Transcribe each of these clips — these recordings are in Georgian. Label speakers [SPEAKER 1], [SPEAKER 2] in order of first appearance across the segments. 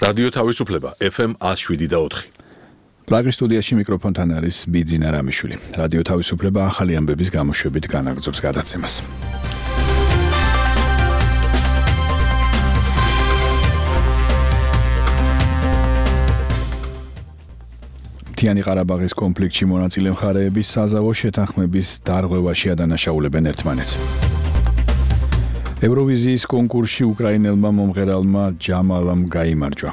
[SPEAKER 1] რადიო თავისუფლება FM 107.4.
[SPEAKER 2] პრაღის სტუდიაში მიკროფონთან არის ბიძინა რამიშვილი. რადიო თავისუფლება ახალი ამბების გამოშვებით განაგრძობს გადაცემას. მთიანი ყარაბაღის კონფლიქტში მონაწილე მხარეები საზავო შეთანხმების დარღვევაში ადანაშაულებენ ერთმანეთს. ევროვიზიის კონკურსში უკრაინელმა მომღერალმა ჯამალამ გაიმარჯვა.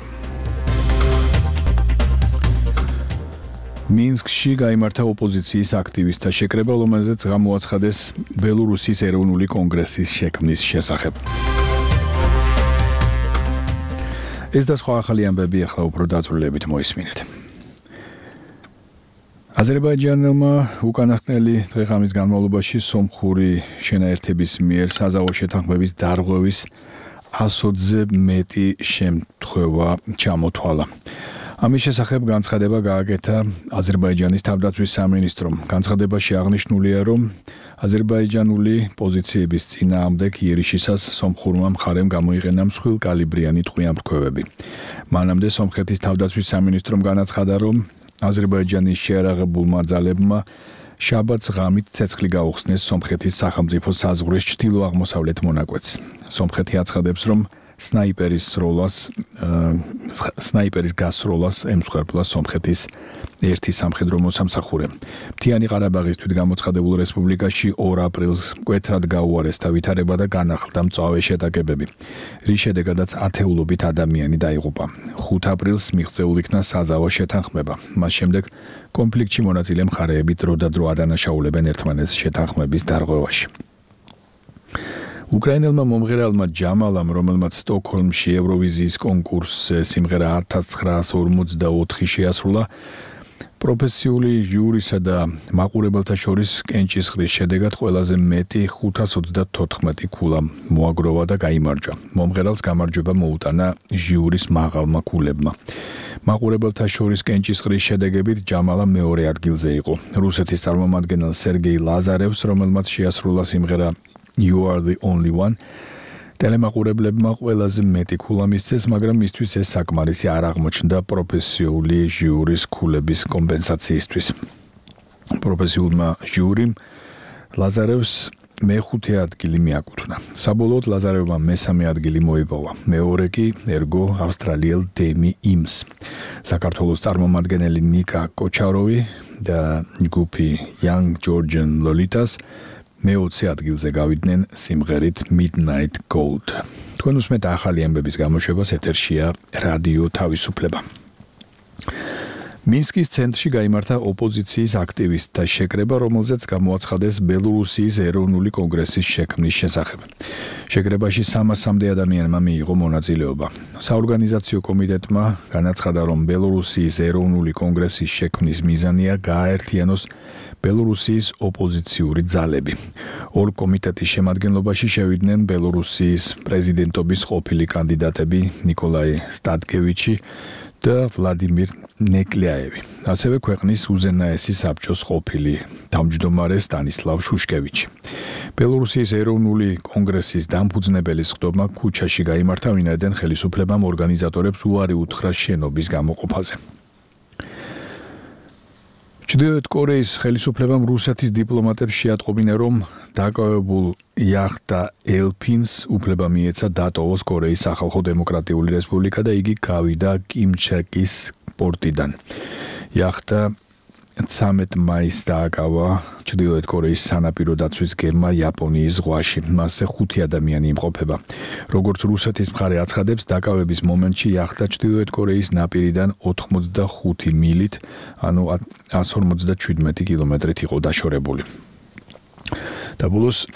[SPEAKER 2] მინსკში გაიმართა ოპოზიციის აქტივისტთა შეკრება, რომელზეც გამოაცხადეს ბელორუსის ეროვნული კონგრესის შექმნის შესახებ. ეს და სხვა ახალი ამბები ახლა უფრო დაწვრილებით მოისმინეთ. აზერბაიჯანელმა უკანასკნელი დღე-ღამის განმავლობაში სომხური შენაერთების მიერ საზავო შეთანხმების დარღვევის 100-ზე მეტი შემთხვევა ჩამოთვალა. ამის შესახებ განცხადება გააკეთა აზერბაიჯანის თავდაცვის სამინისტრომ. განცხადებაში აღნიშნულია, რომ აზერბაიჯანული პოზიციების წინააღმდეგ იერიშისას სომხურმა მხარემ გამოიყენა მსხვილკალიბრიანი ტყვიამფრქვევები. მანამდე სომხეთის თავდაცვის სამინისტრომ განაცხადა, რომ აზერბაიჯანის შეიარაღებულმა ძალებმა შაბათს ღამით ცეცხლი გაუხსნეს სომხეთის სახელმწიფო საზღვრის ჩრდილო-აღმოსავლეთ მონაკვეთს. სომხეთი აცხადებს, რომ სნაიპერის გასროლას ემსხვერპლა სომხეთის ერთი სამხედრო მოსამსახურე. მთიანი ყარაბაღის თვითგამოცხადებულ რესპუბლიკაში 2 აპრილს მკვეთრად გაუარესდა ვითარება და განახლდა მწვავე შეტაკებები, რის შედეგადაც ათეულობით ადამიანი დაიღუპა. 5 აპრილს მიღწეულ იქნა საზავო შეთანხმება. მას შემდეგ კონფლიქტში მონაწილე მხარეები დროდადრო ადანაშაულებენ ერთმანეთს შეთანხმების დარღვევაში. უკრაინელმა მომღერალმა ჯამალამ, რომელმაც სტოკჰოლმში ევროვიზიის კონკურსზე სიმღერა 1944 შეასრულა, პროფესიული ჟიურისა და მაყურებელთა შორის კენჭისყრის შედეგად ყველაზე მეტი 534 ქულა მოაგროვა და გაიმარჯვა. მომღერალს გამარჯვება მოუტანა ჟიურის მაღალმა ქულებმა. მაყურებელთა შორის კენჭისყრის შედეგებით ჯამალა მეორე ადგილზე იყო. რუსეთის წარმომადგენელ სერგეი ლაზარევს, რომელმაც შეასრულა სიმღერა You are the only one. ტელემაყურებლებმა ყველაზე მეტი ქულა მისცეს, მაგრამ მისთვის ეს საკმარისი არ აღმოჩნდა პროფესიული ჟიურის ქულების კომპენსაციისთვის. პროფესიულმა ჟიურიმ ლაზარევს მეხუთე ადგილი მიაკუთვნა. საბოლოოდ ლაზარევმა მესამე ადგილი მოიპოვა. მეორე კი ერგო ავსტრალიელ დემი იმს. საქართველოს წარმომადგენელი ნიკა კოჩაროვი და ჯგუფი Young Georgian Lolitas მე-20 ადგილზე გავიდნენ სიმღერით Midnight Gold. თქვენ უსმენთ ახალი ამბების გამოშვებას, ეთერშია რადიო თავისუფლება. მინსკის ცენტრში გაიმართა ოპოზიციის აქტივისტთა შეკრება, რომელზეც გამოაცხადეს ბელორუსიის ეროვნული კონგრესის შექმნის შესახებ. შეკრებაში 300-მდე ადამიანმა მიიღო მონაწილეობა. საორგანიზაციო კომიტეტმა განაცხადა, რომ ბელორუსიის ეროვნული კონგრესის შექმნის მიზანია გააერთიანოს ბელორუსიის ოპოზიციური ძალები. 2 კომიტეტის შემადგენლობაში შევიდნენ ბელორუსიის პრეზიდენტობის ყოფილი კანდიდატები ნიკოლაი სტატკევიჩი და ვლადიმირ ნეკლიაევი. ასევე ქვეყნის უზენაესი საბჭოს ყოფილი თავმჯდომარე სტანისლავ შუშკევიჩი. ბელორუსიის ეროვნული კონგრესის დამფუძნებელის ხდომა ქუჩაში გაიმართა, ვინაიდან ხელისუფლებამ ორგანიზატორებს უარი უთხრა შენობის გამოყოფაზე. ჩრდილოეთ კორეის ხელისუფლებამ რუსეთის დიპლომატებს შეატყობინა, რომ დაკავებულ იახტა ელფინს უფლება მიეცა დატოვოს კორეის სახალხო დემოკრატიული რესპუბლიკა და იგი გავიდა კიმჩაკის პორტიდან. იახტა 13 მაისს დააკავა ჩრდილოეთ კორეის სანაპირო დაცვის გერმა იაპონიის ზღვაში. მასზე 5 ადამიანი იმყოფება. როგორც რუსეთის მხარე აცხადებს, დაკავების მომენტში იახტა ჩრდილოეთ კორეის ნაპირიდან 85 მილით, ანუ 157 კილომეტრით იყო დაშორებული. და ბოლოს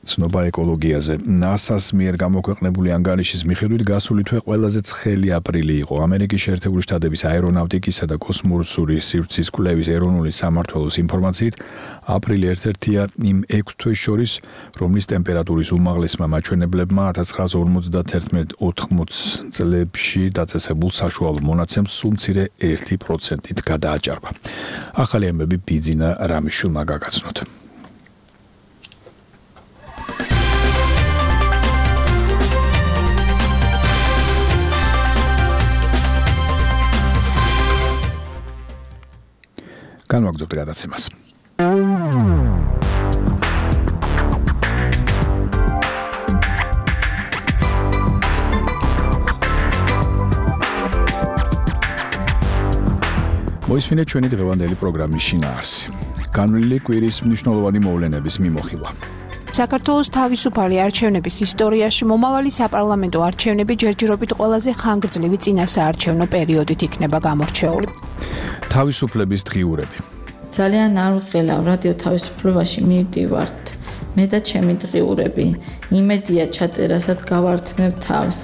[SPEAKER 2] ცნობა ეკოლოგიაზე. NASA-ს მიერ გამოქვეყნებული ანგარიშის მიხედვით გასული თვე ყველაზე ცხელი აპრილი იყო. ამერიკის შეერთებული შტატების აერონავტიკისა და კოსმოსური სივრცის კვლევის ეროვნული სამმართველოს ინფორმაციით, აპრილი ერთ-ერთია იმ 6 თვეს შორის, რომლის ტემპერატურის უმაღლესმა მაჩვენებლებმა 1991-80 წლებში დაწესებულ საშუალო მონაცემს სულ მცირე 1%-ით გადააჭარბა. ახალი ამბები ბიძინა რამიშვილმა გაგაცნოთ. განვაგრძობთ გადაცემას. მოისმინეთ ჩვენი დღევანდელი პროგრამის შინაარსი. განვლილი კვირის მნიშვნელოვანი მოვლენების მიმოხილვა.
[SPEAKER 3] საქართველოს თავისუფალი არჩევნების ისტორიაში მომავალი საპარლამენტო არჩევნები ჯერჯერობით ყველაზე ხანგრძლივი წინასაარჩევნო პერიოდით იქნება გამორჩეული.
[SPEAKER 2] თავისუფლების დღიურები.
[SPEAKER 4] ძალიან არ ვღელავ რადიო თავისუფლებაში მივდივართ. მე და ჩემი დღიურები, იმედია ჩაწერასაც გავართმევ თავს.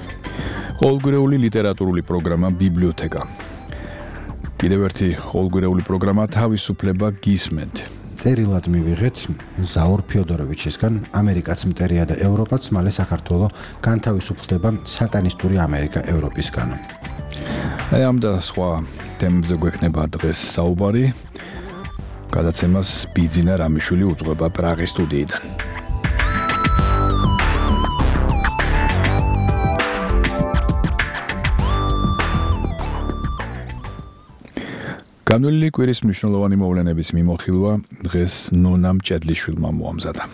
[SPEAKER 2] ყოველგვარეული ლიტერატურული პროგრამა ბიბლიოთეკა. კიდევ ერთი ყოველგვარეული პროგრამა თავისუფლება გისმენთ.
[SPEAKER 5] წერილად მივიღეთ ზაურ ფიოდოროვიჩისგან ამერიკაც მტერია და ევროპაც მალე საქართველო განთავისუფლდება სატანისტური ამერიკა ევროპისგან.
[SPEAKER 2] ამ და სხვა თემებზე გვექნება დღეს საუბარი. გადაცემას ბიძინა რამიშვილი უძღვება პრაღის სტუდიიდან. განვლილი კვირის მნიშვნელოვანი მოვლენების მიმოხილვა დღეს ნონამ ჭედლიშვილმა მოამზადა.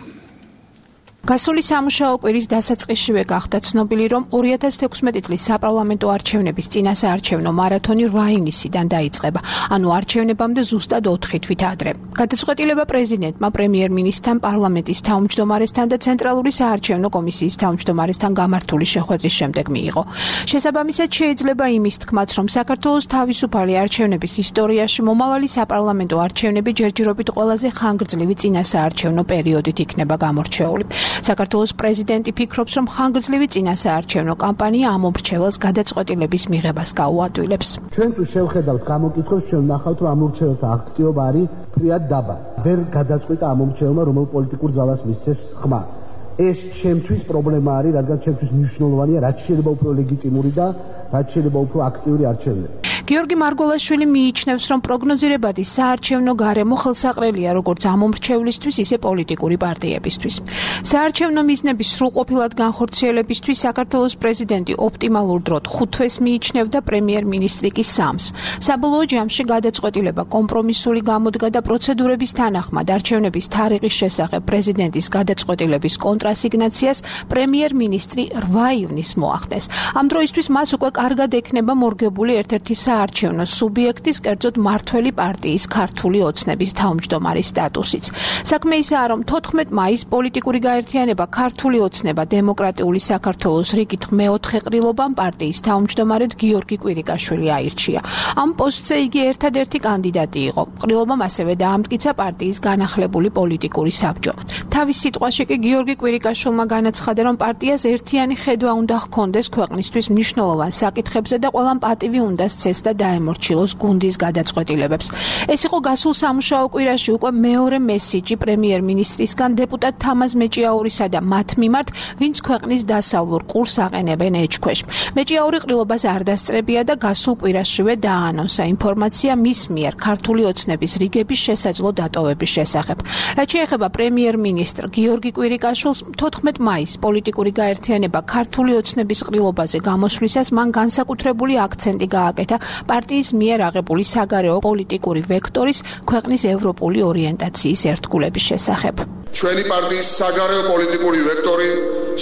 [SPEAKER 3] გასული სამუშაო კვირის დასაწყისშივე გახდა ცნობილი, რომ 2016 წლის საპარლამენტო არჩევნების წინასაარჩევნო მარათონი 8 ივნისიდან დაიწყება, ანუ არჩევნებამდე ზუსტად 4 თვით ადრე. გადაწყვეტილება პრეზიდენტმა, პრემიერ-მინისტრთან, პარლამენტის თავმჯდომარესთან და ცენტრალური საარჩევნო კომისიის თავმჯდომარესთან გამართული შეხვედრის შემდეგ მიიღო. შესაბამისად შეიძლება იმის თქმაც, რომ საქართველოს თავისუფალი არჩევნების ისტორიაში მომავალი საპარლამენტო არჩევნები ჯერჯერობით ყველაზე ხანგრძლივი წინასაარჩევნო პერიოდით იქნება გამორჩეული. საქართველოს პრეზიდენტი ფიქრობს, რომ ხანგრძლივი წინასაარჩევნო კამპანია ამ მომრჩეველს გადაწყვეტილების მიღებას გაუადვილებს.
[SPEAKER 6] ჩვენ თუ შევხედავთ გამოკითხვებს, ჩვენ ვნახავთ, რომ ამ მომრჩეველთა აქტივობა არის ფრიად დაბალი. ვერ გადაწყვიტა ამ მომრჩეველმა რომელ პოლიტიკურ ძალას მისცეს ხმა. ეს ჩემთვის პრობლემა არის, რადგან ჩემთვის მნიშვნელოვანია, რაც შეიძლება უფრო ლეგიტიმური და რაც შეიძლება უფრო აქტიური არჩევნები.
[SPEAKER 3] გიორგი მარგველაშვილი მიიჩნევს, რომ პროგნოზირებადი საარჩევნო გარემო ხელსაყრელია როგორც ამ მომრჩევლისთვის, ისე პოლიტიკური პარტიებისთვის. საარჩევნო მიზნების სრულყოფილად განხორციელებისთვის საქართველოს პრეზიდენტი ოპტიმალურ დროდ 5 თვეს მიიჩნევდა, პრემიერ-მინისტრი კი 3-ს. საბოლოო ჯამში გადაწყვეტილება კომპრომისული გამოდგა და პროცედურების თანახმად არჩევნების თარიღის შესახებ პრეზიდენტის გადაწყვეტილების კონტრასიგნაციას პრემიერ-მინისტრი 8 ივნისს მოახდენს. ამ დროისთვის მას უკვე კარგად ექნება მორგებული ერთ-ერთი საარჩევნო სუბიექტის, კერძოდ მართველი პარტიის ქართული ოცნების თავმჯდომარის სტატუსიც. საქმე ისაა, რომ 14 მაისს პოლიტიკური გაერთიანება ქართული ოცნება დემოკრატიული საქართველოს რიგით მეოთხე ყრილობამ პარტიის თავმჯდომარედ გიორგი კვირიკაშვილი აირჩია. ამ პოსტზე იგი ერთადერთი კანდიდატი იყო. ყრილობამ ასევე დაამტკიცა პარტიის განახლებული პოლიტიკური საბჭო. თავის სიტყვაში კი გიორგი კვირიკაშვილმა განაცხადა, რომ პარტიას ერთიანი ხედვა უნდა ჰქონდეს ქვეყნისთვის მნიშვნელოვან საკითხებზე და ყველამ პატივი უნდა სცეს და დაემორჩილოს გუნდის გადაწყვეტილებებს. ეს იყო გასულ სამუშაო კვირაში უკვე მეორე მესიჯი პრემიერ-მინისტრისგან დეპუტატ თამაზ მეჭიაურისა და მათ მიმართ, ვინც ქვეყნის დასავლურ ყურს აყენებენ ეჭქვეშ. მეჭიაური ყრილობას არ დასწრებია და გასულ კვირაშივე დააანონსა ინფორმაცია მის მიერ ქართული ოცნების რიგების შესაძლო დატოვების შესახებ. რაც შეეხება პრემიერ-მინისტრ გიორგი კვირიკაშვილს, 14 მაისს პოლიტიკური გაერთიანება ქართული ოცნების ყრილობაზე გამოსვლისას მან განსაკუთრებული აქცენტი გააკეთა პარტიის მიერ აღებული საგარეო პოლიტიკური ვექტორის ქვეყნის ევროპული ორიენტაციის ერთგულების შესახებ.
[SPEAKER 7] ჩვენი პარტიის საგარეო პოლიტიკური ვექტორი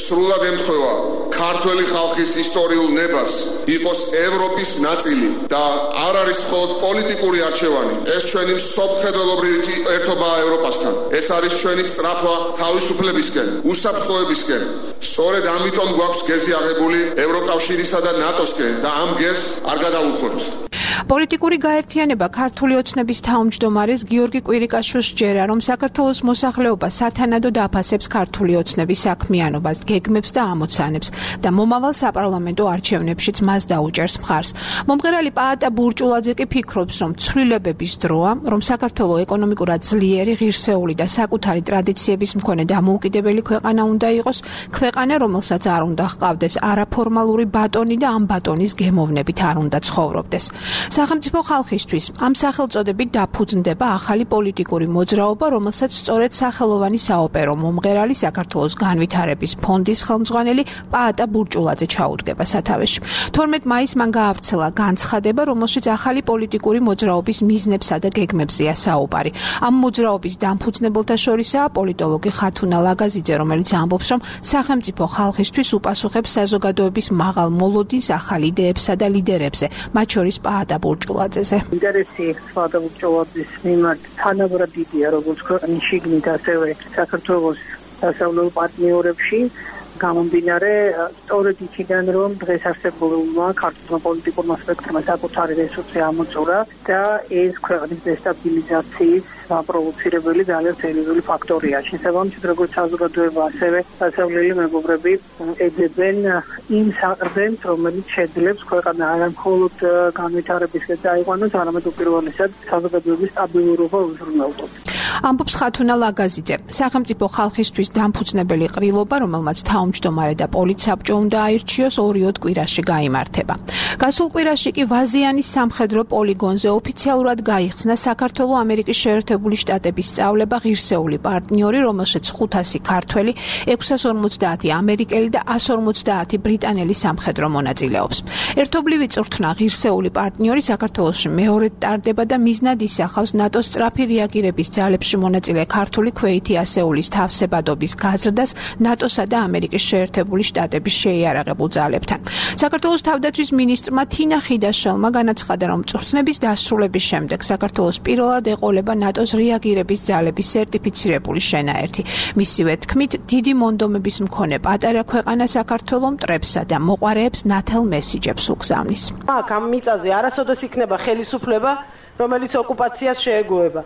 [SPEAKER 7] სრულად ემთხვევა ქართველი ხალხის ისტორიულ ნებას იყოს ევროპის ნაწილი და არ არის მხოლოდ პოლიტიკური არჩევანი. ეს ჩვენი მსოფლმხედველობრივი ერთობაა ევროპასთან. ეს არის ჩვენი სწრაფვა თავისუფლებისკენ, უსაფრთხოებისკენ. სწორედ ამიტომ გვაქვს გეზი აღებული ევროკავშირისა და ნატოსკენ და ამ გეზს არ გადავუხოთ.
[SPEAKER 3] პოლიტიკური გაერთიანება ქართული ოცნების თავმჯდომარეს გიორგი კვირიკაშვილს სჯერა, რომ საქართველოს მოსახლეობა სათანადოდ აფასებს ქართული ოცნების საქმიანობას, გეგმებს და ამოცანებს და მომავალ საპარლამენტო არჩევნებშიც მას დაუჭერს მხარს. მომღერალი პაატა ბურჭულაძე კი ფიქრობს, რომ ცვლილებების დროა, რომ საქართველო ეკონომიკურად ძლიერი, ღირსეული და საკუთარი ტრადიციების მქონე დამოუკიდებელი ქვეყანა უნდა იყოს, ქვეყანა, რომელსაც არ უნდა ჰყავდეს არაფორმალური ბატონი და ამ ბატონის გემოვნებით არ უნდა ცხოვრობდეს. სახელმწიფო ხალხისთვის ამ სახელწოდებით დაფუძნდება ახალი პოლიტიკური მოძრაობა, რომელსაც სწორედ სახელოვანი საოპერო მომღერალი საქართველოს განვითარების ფონდის ხელმძღვანელი პაატა ბურჭულაძე ჩაუდგება სათავეში. 12 მაისს მან გაავრცელა განცხადება, რომელშიც ახალი პოლიტიკური მოძრაობის მიზნებსა და გეგმებზეა საუბარი. ამ მოძრაობის დამფუძნებელთა შორისაა პოლიტოლოგი ხათუნა ლაგაზიძე, რომელიც ამბობს, რომ სახელმწიფო ხალხისთვის უპასუხებს საზოგადოების მაღალ მოლოდინს ახალ იდეებსა და ლიდერებზე, მათ შორის პაატა ბურჭულაძეზე.
[SPEAKER 8] ინტერესი პაატა ბურჭულაძის მიმართ თანაბრად დიდია, როგორც ქვეყნის შიგნით, ასევე საქართველოს დასავლელ პარტნიორებში. გამომდინარე სწორედ იქიდან, რომ დღეს არსებულმა ქართულმა პოლიტიკურმა სპექტრმა საკუთარი რესურსი ამოწურა და ეს ქვეყნის დესტაბილიზაციის პროვოცირებელი ძალიან სერიოზული ფაქტორია. შესაბამისად, როგორც საზოგადოება, ასევე დასავლელი მეგობრები ეძებენ იმ საყრდენს, რომელიც შეძლებს ქვეყანა არა მხოლოდ განვითარებისკენ დაიყვანოს, არამედ უპირველესად საზოგადოების სტაბილურობა უზრუნველყოს.
[SPEAKER 3] ამბობს ხათუნა ლაგაზიძე. სახელმწიფო ხალხისთვის დამფუძნებელი ყრილობა, რომელმაც თავმჯდომარე და პოლიცსაბჭო უნდა აირჩიოს, 2 კვირაში გაიმართება. გასულ კვირაში კი ვაზიანის სამხედრო პოლიგონზე ოფიციალურად გაიხსნა საქართველო-ამერიკის შეერთებული შტატების სწავლება ღირსეული პარტნიორი, რომელშიც 500 ქართველი, 650 ამერიკელი და 150 ბრიტანელი სამხედრო მონაწილეობს. ერთობლივი წვრთნა ღირსეული პარტნიორი საქართველოში მეორედ ტარდება და მიზნად ისახავს ნატოს სწრაფი რეაგირების ძალებში მონაწილე ქართული ქვეითი ასეულის თავსებადობის გაზრდას ნატოსა და ამერიკის შეერთებული შტატების შეიარაღებულ ძალებთან. საქართველოს თავდაცვის მინისტრმა თინა ხიდაშელმა განაცხადა, რომ წვრთნების დასრულების შემდეგ საქართველოს პირველად ეყოლება ნატოს რეაგირების ძალების სერტიფიცირებული შენაერთი. მისივე თქმით, დიდი მონდომების მქონე პატარა ქვეყანა საქართველო მტრებსა და მოყვარეებს ნათელ მესიჯებს უგზავნის.
[SPEAKER 9] აქ ამ მიწაზე არასოდეს იქნება ხელისუფლება, რომელიც ოკუპაციას შეეგუება.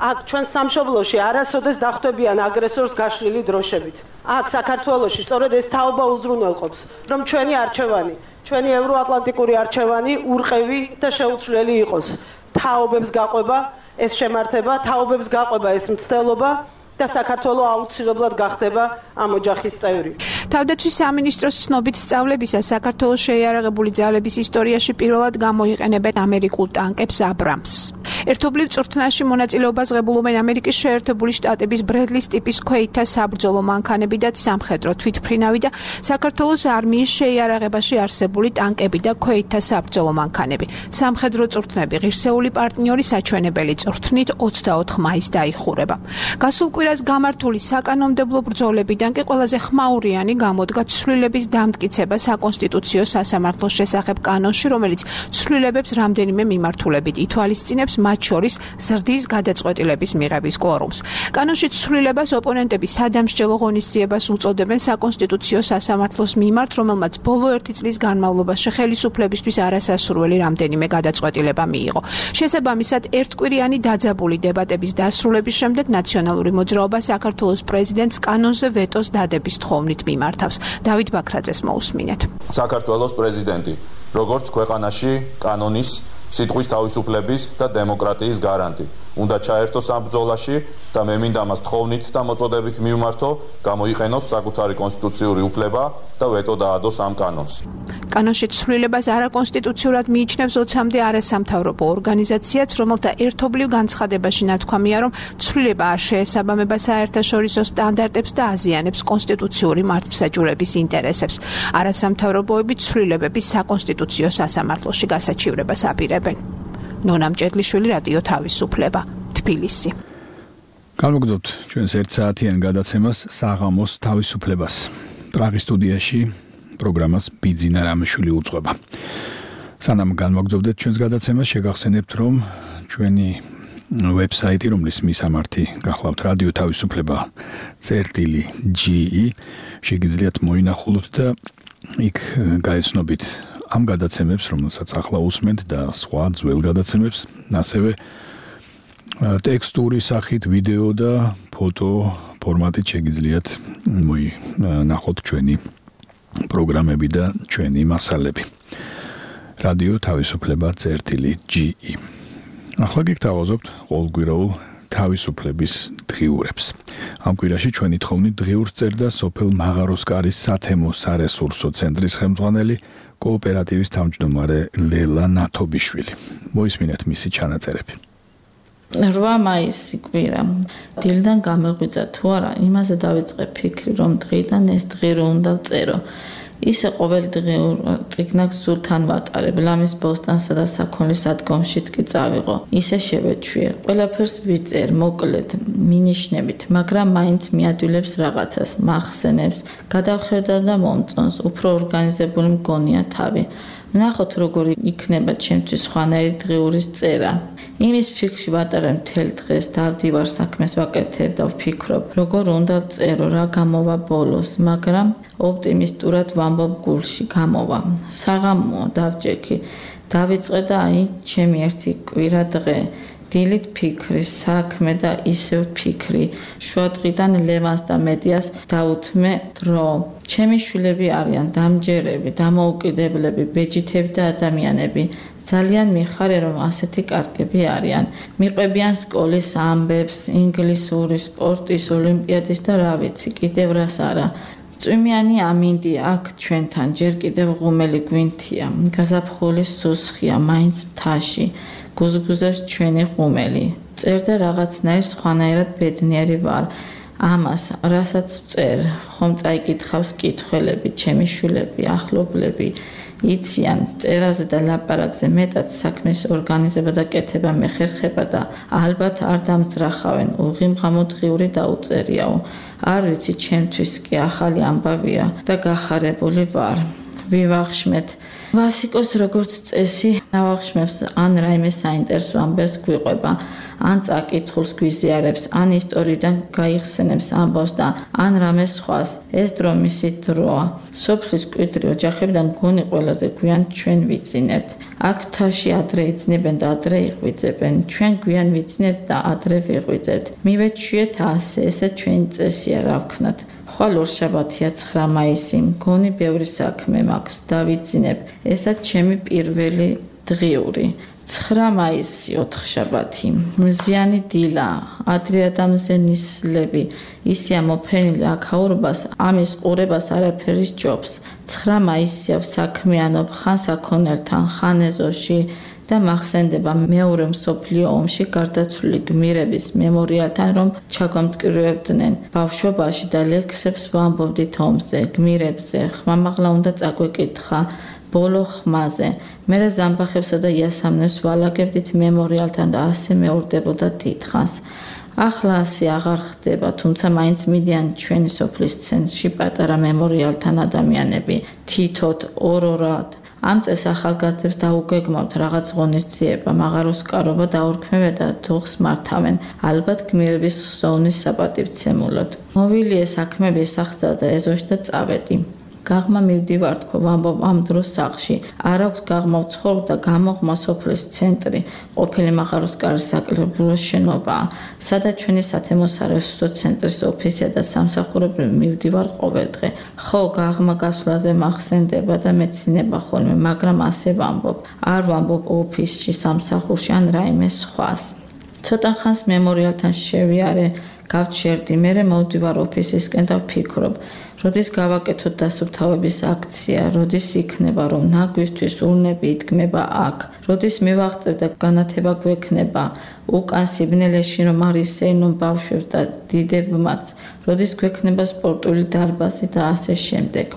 [SPEAKER 9] აქ ჩვენ სამშობლოში არასოდეს დახვდებიან აგრესორს გაშლილი დროშებით. აქ საქართველოში სწორედ ეს თაობა უზრუნველყოფს, რომ ჩვენი არჩევანი, ჩვენი ევროატლანტიკური არჩევანი ურყევი და შეუცვლელი იყოს. თაობებს გაყვება ეს შემართება, თაობებს გაყვება ეს მცდელობა და საქართველო აუცილებლად გახდება ამ ოჯახის წევრი.
[SPEAKER 3] თავდაცვის სამინისტროს ცნობით სწავლებისას საქართველოს შეიარაღებული ძალების ისტორიაში პირველად გამოიყენებენ ამერიკულ ტანკებს აბრამს. ერთობლივ წვრთნაში მონაწილეობას ღებულობენ ამერიკის შეერთებული შტატების ბრედლის ტიპის ქვეითთა საბრძოლო მანქანები და სამხედრო თვითმფრინავი და საქართველოს არმიის შეიარაღებაში არსებული ტანკები და ქვეითთა საბრძოლო მანქანები. სამხედრო წვრთნები ღირსეული პარტნიორი საჩვენებელი წვრთნით 24 მაისს დაიხურება. გასულ კვირას გამართული საკანონმდებლო ბრძოლებიდან კი ყველაზე ხმაურიანი გამოდგა ცვლილების დამტკიცება საკონსტიტუციო სასამართლოს შესახებ კანონში, რომელიც ცვლილებებს რამდენიმე მიმართულებით ითვალისწინებს, მათ შორის ზრდის გადაწყვეტილების მიღების კვორუმს. კანონში ცვლილებას ოპონენტები სადამსჯელო ღონისძიებას უწოდებენ საკონსტიტუციო სასამართლოს მიმართ, რომელმაც ბოლო 1 წლის განმავლობაში ხელისუფლებისთვის არასასურველი რამდენიმე გადაწყვეტილება მიიღო. შესაბამისად, ერთკვირიანი დაძაბული დებატების დასრულების შემდეგ ნაციონალური მოძრაობა საქართველოს პრეზიდენტს კანონზე ვეტოს დადების თხოვნით მიმართავს. დავით ბაქრაძეს მოусმინეთ.
[SPEAKER 10] საქართველოს პრეზიდენტი, როგორც ქვეყანაში კანონის, სიტყვის თავისუფლების და დემოკრატიის გარანტი, უნდა ჩაერთოს ამ ბრძოლაში და მე მინდა მას თხოვნით და მოწოდებით მივმართო, გამოიყენოს საკუთარი კონსტიტუციური უფლება და ვეტო დაადოს ამ კანონს.
[SPEAKER 3] კანონში ცვლილებას არაკონსტიტუციურად მიიჩნევს 20-მდე არასამთავრობო ორგანიზაციაც, რომელთა ერთობლივ განცხადებაში ნათქვამია, რომ ცვლილება არ შეესაბამება საერთაშორისო სტანდარტებს და აზიანებს კონსტიტუციური მართლმსაჯულების ინტერესებს. არასამთავრობოები ცვლილებების საკონსტიტუციო სასამართლოში გასაჩივრებას აპირებენ. ნონა მჭედლიშვილი, რადიო თავისუფლება, თბილისი.
[SPEAKER 2] განმოგრძობთ ჩვენს 1 საათიან გადაცემას საღამოს თავისუფლებას. პრაღის სტუდიაში პროგრამას ბიძინა რამიშვილი უძღვება. სანამ განმოგრძობდეთ ჩვენს გადაცემას, შეგახსენებთ, რომ ჩვენი ვებსაიტი, რომლის მისამართი გახლავთ რადიო თავისუფლება.ge, შეგიძლიათ მოინახულოთ და იქ გაეცნობით ამ გადაცემებს, რომელსაც ახლა усმენთ და სხვა ძველ გადაცემებს, ასევე ტექსტური სახით, ვიდეო და ფოტო ფორმატით შეგიძლიათ მოინახოთ ჩვენი პროგრამები და ჩვენი მასალები. რადიო თავისუფლება.ge. ახლა გიგთავაზობთ ყოველკვირაულ თავისუფლების დღიურებს. ამ კვირაში ჩვენი თხოვნით დღიურს წერდა სოფელ მაღაროსკარის სათემო სარესურსო ცენტრის ხელმძღვანელი კოოპერატივის თავმჯდომარე ლელა ნათობიშვილი. მოისმინეთ მისი ჩანაწერები.
[SPEAKER 4] 8 მაისი კვირა. დილიდან გამეღვიძა თუ არა, იმაზე დავიწყე ფიქრი, რომ დღიდან ეს დღე რო უნდა ვწერო. ისე ყოველდღიურ წიგნაკს სულთან ვატარებ, ლამის ბოსტანსა და საქონლის ადგომშიც კი წავიღო. ისე შევეჩვიე. ყველაფერს ვიწერ, მოკლედ, მინიშნებით, მაგრამ მაინც მიადვილებს რაღაცას, მახსენებს, გადავხედა და მომწონს, უფრო ორგანიზებული მგონია თავი. ვნახოთ, როგორი იქნება ჩემთვის სხვანაირი დღიურის წერა. იმის ფიქრში ვატარებ მთელ დღეს, დავდივარ საქმეს ვაკეთებ და ვფიქრობ, როგორ უნდა ვწერო, რა გამოვა ბოლოს, მაგრამ ოპტიმისტურად ვამბობ გულში გამოვა. საღამოა დავჯექი, დავიწყე და აი ჩემი ერთი კვირა დღე. დილით ფიქრი, საქმე და ისევ ფიქრი. შუადღიდან ლევანს და მედიას დაუთმე დრო. ჩემი შვილები არიან დამჯერები, დამოუკიდებლები, ბეჯითები და ადამიანები. ძალიან მიხარე, რომ ასეთი კარგები არიან. მიყვებიან სკოლის ამბებს, ინგლისური, სპორტის, ოლიმპიადის და რა ვიცი, კიდევ რას არა. წვიმიანი ამინდი აქ ჩვენთან, ჯერ კიდევ ღუმელი გვინთია, გაზაფხული სუსხია, მაინც მთაში. გუზგუზებს ჩვენი ღუმელი. წერდა რაღაცნაირ სხვანაირად ბედნიერი ვარ. ამას, რასაც ვწერ, ხომ წაიკითხავს კითხველები, ჩემი შვილები, ახლობლები. იციან, წერაზე და ლაპარაკზე მეტად საქმის ორგანიზება და კეთება მეხერხება და ალბათ არ დამძრახავენ, უღიმღამო დღიური დაუწერიაო. არ ვიცი, ჩემთვის კი ახალი ამბავია და გახარებული ვარ. ვივახშმეთ. ვასიკოს როგორც წესი, ავახშმებს ან რაიმე საინტერესო ამბებს გვიყვება, ან წაკითხულს გვიზიარებს, ან ისტორიიდან გაიხსენებს ამბავს და ან რამე სხვას. ეს დრო მისი დროა. სოფლის მკვიდრი ოჯახებიდან მგონი ყველაზე გვიან ჩვენ ვიძინებთ. აქ მთაში ადრე იძინებენ და ადრე იღვიძებენ. ჩვენ გვიან ვიძინებთ და ადრე ვიღვიძებთ. მივეჩვიეთ ასე, ესე ჩვენი წესია, რა ვქნათ. ხვალ ორშაბათია 9 მაისი, მგონი ბევრი საქმე მაქვს, დავიძინებ. ესაც ჩემი პირველი დღიური. 9 მაისი, ოთხშაბათი. მზიანი დილა, ადრე ადამიანზე ნისლები, ისია მოფენილი აქაურობას, ამის ყურებას არაფერი სჯობს. 9 მაისია საქმიანობ ხან საქონელთან, ხან ეზოში და მახსენდება მეორე მსოფლიო ომში გარდაცვლილი გმირების მემორიალთან, რომ ჩაგვამწკრივებდნენ ბავშვობაში და ლექსებს ვამბობდით ომზე, გმირებზე, ხმამაღლა უნდა წაგვეკითხა ბოლო ხმაზე. მერე ზამბახებსა და იასამნებს ვალაგებდით მემორიალთან და ასე მეორდებოდა დიდხანს. ახლა ასე აღარ ხდება, თუმცა მაინც მიდიან ჩვენი სოფლის ცენტრში პატარა მემორიალთან ადამიანები, თითოდ, ორ-ორად. ამ წეს ახალგაზრდებს დაუგეგმავთ რაღაც ღონისძიება, მაღაროსკარობა დაურქმევენ და თოხს მართავენ, ალბათ გმირების სოვნის საპატივცემულოდ. მოვილიე საქმები სახსა და ეზოში და წავედი. გაღმა მივდივარ თქო, ვამბობ ამ დროს სახლში. არ აქვს გაღმა ვცხოვრ და გამოღმა სოფლის ცენტრი, ყოფილი მაღაროსკარის საკლუბო შენობაა, სადაც ჩვენი სათემო სარესურსო ცენტრის ოფისია და სამსახურებრივ მივდივარ ყოველდღე. ხო, გაღმა გასვლაზე მახსენდება და მეცინება ხოლმე, მაგრამ ასე ვამბობ. არ ვამბობ ოფისში, სამსახურში ან რაიმე სხვას. ცოტა ხანს მემორიალთან შევიარე, გავჩერდი, მერე მოვდივარ ოფისისკენ და ვფიქრობ. როდის გავაკეთოთ დასუფთავების აქცია, როდის იქნება, რომ ნაგვისთვის ურნები იდგმება აქ, როდის მივაღწევ და განათება გვექნება, უკან სიბნელეში რომ არ ისეინონ ბავშვებს და დიდებმაც, როდის გვექნება სპორტული დარბაზი და ასე შემდეგ.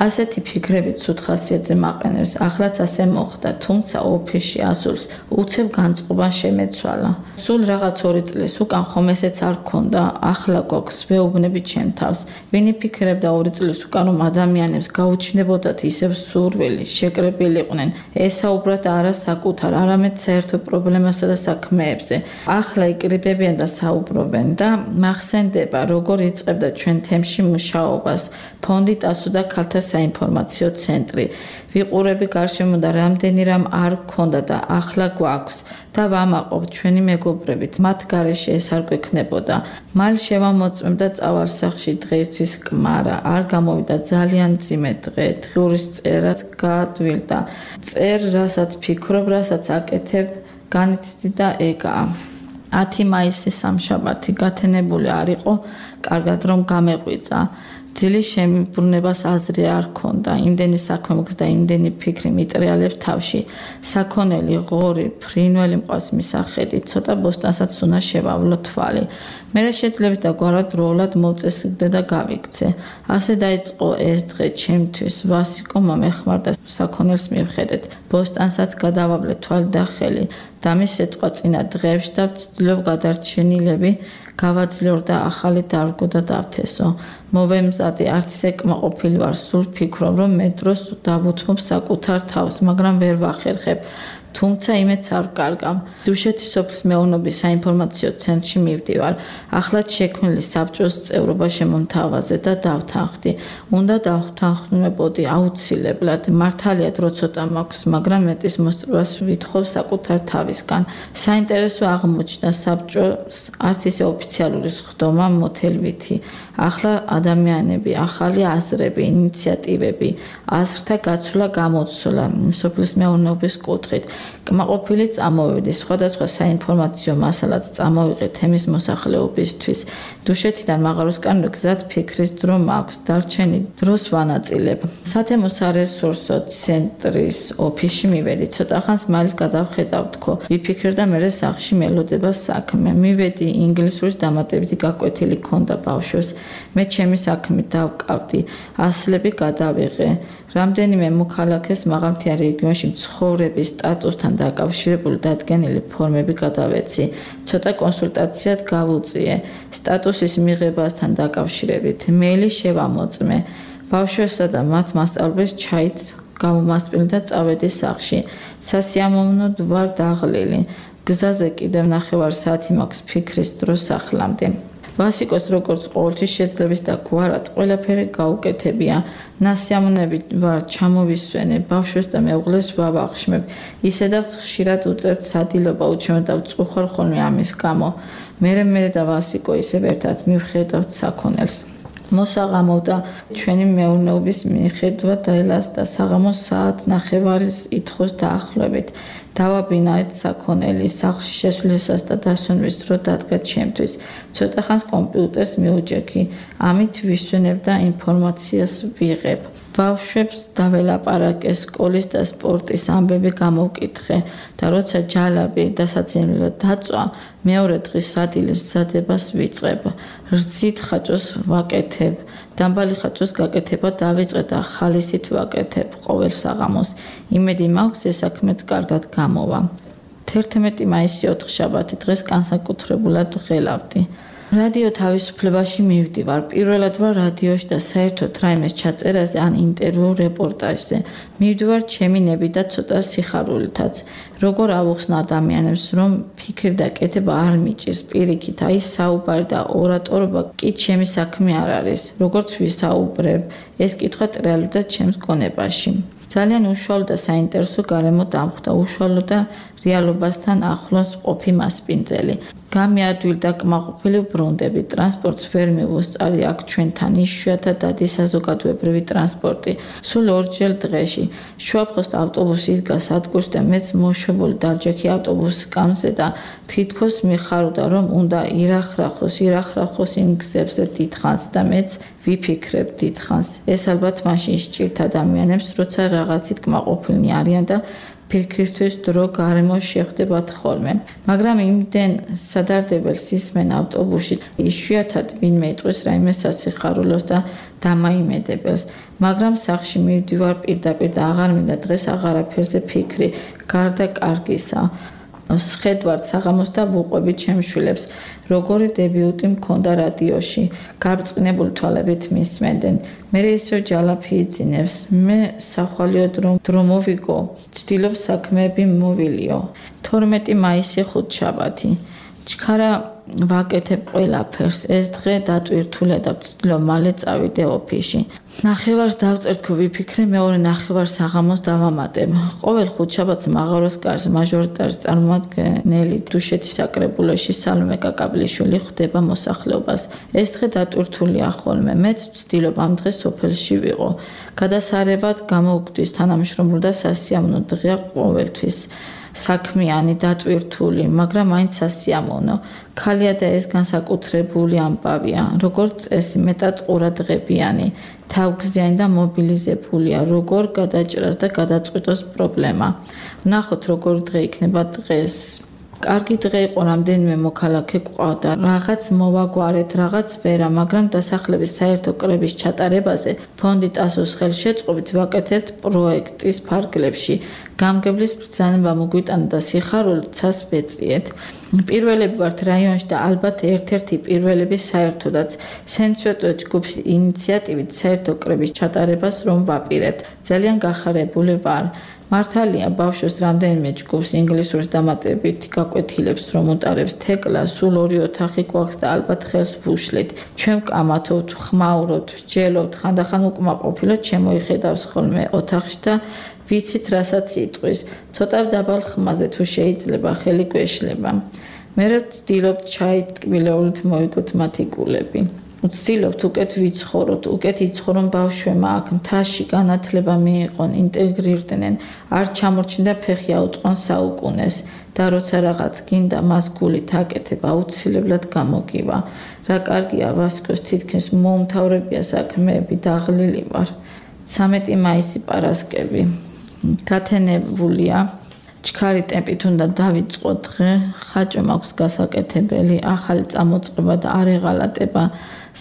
[SPEAKER 4] ასეთი ფიქრებით ცუდ ხასიათზე მაყენებს, ახლაც ასე მოხდა, თუმცა ოფისში ასულს უცებ განწყობა შემეცვალა. სულ რაღაც 2 წლის უკან ხომ ესეც არ გქონდა, ახლა გვაქვს, ვეუბნები ჩემ თავს. ვინი ფიქრებდა 2 წლის უკან რომ ადამიანებს გაუჩნდებოდათ ისევ სურვილი, შეკრებილიყვნენ, ესაუბრათ არა საკუთარ, არამედ საერთო პრობლემასა და საქმეებზე. ახლა იკრიბებიან და საუბრობენ და მახსენდება, როგორ იწყებდა ჩვენ თემში მუშაობას, ფონდი ტასუდა ქალთა საინფორმაციო ცენტრი. ვიყურები გარშემო და რამდენი რამ არ გქონდა და ახლა გვაქვს და ვამაყობ ჩვენი მეგობრებით, მათ გარეშე ეს არ გვექნებოდა. მალ შევამოწმებ და წავალ სახლში დღეისთვის კმარა, არ გამოვიდა ძალიან მძიმე დღე, დღურის წერაც გაადვილდა. წერ, რასაც ფიქრობ, რასაც აკეთებ, განიცდი და ეგაა. 10 მაისი სამშაბათი გათენებული არ იყო, კარგად რომ გამეღვიძა. ძილის შემიბრუნებას აზრი არ ქონდა, იმდენი საქმე მოხდა და იმდენი ფიქრი მიტრიალებს თავში. საქონელი, ღორი, ფრინველი მყავს მისახედი, ცოტა ბოსტანსაც უნდა შევავლო თვალი. მე შეძლებს და გვარად დროულად მოვწესრიგდე და გავიქცე. ასე დაიწყო ეს დღე ჩემთვის. ვასიკო მომეხმარდა საქონელს მივხედეთ. ბოსტანსაც გადავავლე თვალი და ხელი. და მის სიტყვა წინა დღეებში და ვცდილობ გადარჩენილები გავაძლევ და ახალი დარგო და დავთესო. მოვემზადე, არც ისე კმაყოფილი ვარ, სულ ფიქრობ, რომ მე დროს დავუთმობ საკუთარ თავს, მაგრამ ვერ ვახერხებ. თუმცა იმედს არ ვკარგავ. დუშეთის სოფლის მეურნეობის საინფორმაციო ცენტრში მივდივარ. ახლად შექმნილი საბჭოს წევრობა შემომთავაზე და დავთანხმდი. უნდა დავთანხმებოდი აუცილებლად. მართალია დრო ცოტა მაქვს, მაგრამ მეტის მოსწრებას ვითხოვ საკუთარ თავისგან. საინტერესო აღმოჩნდა საბჭოს არც ისე ოფიციალური სხდომა მოთელვითი. ახლა ადამიანები, ახალი აზრები, ინიციატივები, აზრთა გაცვლა გამოცვლა სოფლის მეურნეობის კუთხით. კმაყოფილი წამოვედი, სხვადასხვა საინფორმაციო მასალაც წამოვიღე თემის მოსახლეობისთვის. დუშეთიდან მაღაროსკენ გზად ფიქრის დრო მაქვს, დარჩენი დროს ვანაწილებ. სათემო სარესურსო ცენტრის ოფისში მივედი, ცოტა ხანს მალის გადავხედავ თქო. ვიფიქრე და მერე სახლში მელოდება საქმე. მივედი, ინგლისურის დამატებითი გაკვეთილი ქონდა ბავშვებს. მე ჩემი საქმით დავკავდი, ასლები გადავიღე. რამდენიმე მოქალაქეს მაღალმთიან რეგიონში ცხოვრების სტატუსთან დაკავშირებული დადგენილი ფორმები გადავეცი. ცოტა კონსულტაციაც გავუწიე. სტატუსის მიღებასთან დაკავშირებით მეილი შევამოწმე. ბავშვებსა და მათ მასწავლებლებს ჩაით გამომასპინე და წავედი სახლში. სასიამოვნოდ ვარ დაღლილი. გზაზე კიდევ 9 საათი მაქვს ფიქრის დრო სახლამდე. ვასიკოს როგორც ყოველთვის შეძლებს და გვარად ყველაფერი გაუკეთებია. ნასიამოვნებით ვარ ჩამოვისვენე, ბავშვებს და მეუღლეს ვავახშმებ. ისედაც ხშირად უწევთ სადილობა უჩვენო და ვწუხარ ხოლმე ამის გამო. მე და ვასიკო ისევ ერთად მივხედავთ საქონელს. მოსაღამოვდა ჩვენი მეურნეობის მიხედვა დაელასდა საღამოს საათ 9:30-ის ითხოვს დაახლოებით. დავაბინავეთ საქონელი, სახლში შესვლისას და დასვენვის დრო დადგა ჩემთვის. ცოტა ხანს კომპიუტერს მიუჯექი, ამით ვისვენებ და ინფორმაციას ვიღებ. ბავშვებს დაველაპარაკე, სკოლის და სპორტის ამბები გამოვკითხე და როცა ჯალაბი დასაცინებლო დაწვა, მეორე დღის სადილის მზადებას ვიწყებ. რძით ხაჭოს ვაკეთებ, დამბალი ხაჭოს გაკეთება დავიწყე და ხალისით ვაკეთებ ყოველ საღამოს. იმედი მაქვს ეს საქმეც კარგად გამოვა. 11 მაისი 4 შაბათი დღეს განსაკუთრებულად ღელავდი. რადიო თავისუფლებაში მივდივარ. პირველად ვარ რადიოში და საერთოდ რაიმეს ჩაწერაზე ან ინტერვიუ რეპორტაჟზე. მივდივარ ჩემი ნები და ცოტა სიხარულითაც. როგორ ავუხსნა ადამიანებს, რომ ფიქრი და კეთება არ მიჭირს პირიქით, აი საუბარი და ორატორობა კი ჩემი საქმე არ არის. როგორც ვისაუბრებ, ეს კითხვა ტრიალობდა ჩემს გონებაში. ძალიან უშუალო და საინტერესო გარემო დამხვდა, უშუალო და რეალობასთან ახლოს ყოფი მასპინძელი. გამიადვილ და კმაყოფილი ბრუნდები, ტრანსპორტს ვერ მივუსწარი აქ ჩვენთან, იშვიათად დადის საზოგადოებრივი ტრანსპორტი. სულ ორჯერ დღეში. შუაფხოს ავტობუსი იდგა სადგურში და მეც მოშვებული დავჯექი ავტობუსის სკამზე და თითქოს მიხარობდა, რომ უნდა ირახრახოს იმ გზებზე დიდხანს და მეც ვიფიქრებ დიდხანს. ეს ალბათ მაშინ სჭირთ ადამიანებს, როცა რაღაცით კმაყოფილნი არიან და ფიქრისთვის დრო გარემო შეხვდებათ ხოლმე. მაგრამ იმდენ სადარდებელს ისმენ ავტობუსში, იშვიათად ვინმე იტყვის რაიმე სასიხარულოს და დამაიმედებელს. მაგრამ სახლში მივდივარ პირდაპირ და აღარ მინდა დღეს აღარაფერზე ფიქრი, გარდა კარგისა. სხედვართ საღამოს და ვუყვები ჩემს შვილებს. როგორი დებიუტი მქონდა რადიოში, გარწყნებული თვალებით მისმენდნენ. მე ისო ჯალაფი იძინებს, მე სახვალიო დრო მოვიგო, ცდილობ საქმეები მოვილიო. 12 მაისი 5 შაბათი. ჩქარა ვაკეთებ ყველაფერს. ეს დღე დატვირთულე და ვცდილობ მალე წავიდე ოფისში. 9:00-ს დავწერთქო ვიფიქრე, მეორე 9:00 საღამოს დავამატებ. ყოველ ხუთშაბათს მაღაროს კარს მაჟორიტარი წარმომადგენელი დუშეთის საკრებულოში სალომე კაკაბლიშვილი ხვდება მოსახლეობას. ეს დღე დატვირთულია ხოლმე. მეც ვცდილობ ამ დღეს სოფელში ვიყო. გადასარევად გამოვკვდის თანამშრომლობა და სასიამოვნო დღეა ყოველთვის. საქმიანი, დატვირთული, მაგრამ მაინც სასიამოვნო. ქალია და ეს განსაკუთრებული ამბავია, როგორც წესი მეტად ყურადღებიანი, თავგზიანი და მობილიზებულია, როგორ გადაჭრას და გადაწყვიტოს პრობლემა. ვნახოთ, როგორ დღე იქნება დღეს. კარგი დღე იყო, რამდენიმე მოქალაქე გვყავდა, რაღაც მოვაგვარეთ, რაღაც ვერა, მაგრამ დასახლების საერთო კრების ჩატარებაზე ფონდი ტასოს ხელშეწყობით ვაკეთებთ პროექტის ფარგლებში. გამგებლის ბრძანება მოგვიტანა და სიხარულით ცას ვეწიეთ. პირველები ვართ რაიონში და ალბათ ერთ-ერთი პირველები საერთოდაც. სენცვეტო ჯგუფის ინიციატივით საერთო კრების ჩატარებას რომ ვაპირებთ. ძალიან გახარებული ვარ. მართალია ბავშვს რამდენიმე ჯგუფს ინგლისურის დამატებით გაკვეთილებს რომ უტარებს თეკლა, სულ 2 ოთახი გვაქვს და ალბათ ხელს ვუშლით. ჩვენ ვკამათობთ, ხმაურობთ, ვსჯელობთ, ხანდახან უკმაყოფილოთ შემოიხედავს ხოლმე ოთახში და ვიცით რასაც იტყვის. ცოტა დაბალ ხმაზე თუ შეიძლება ხელი გვეშლება. მე ვცდილობთ ჩაით ტკბილეულით მოვიგოთ მათი გულები. ვცდილობთ უკეთ ვიცხოვროთ, უკეთ იცხოვრონ ბავშვებმა აქ მთაში განათლება მიიღონ, ინტეგრირდნენ, არ ჩამორჩნდა ფეხი აუწყონ საუკუნეს და როცა რაღაც გინდა მას გულით აკეთებ, აუცილებლად გამოგივა. რა კარგია ვასკოს თითქმის მოუმთავრებია საქმეები, დაღლილი ვარ. 13 მაისი პარასკევი. გათენებულია. ჩქარი ტემპით უნდა დავიწყო დღე, ხაჭო მაქვს გასაკეთებელი, ახალი წამოწყება და არეღალატება.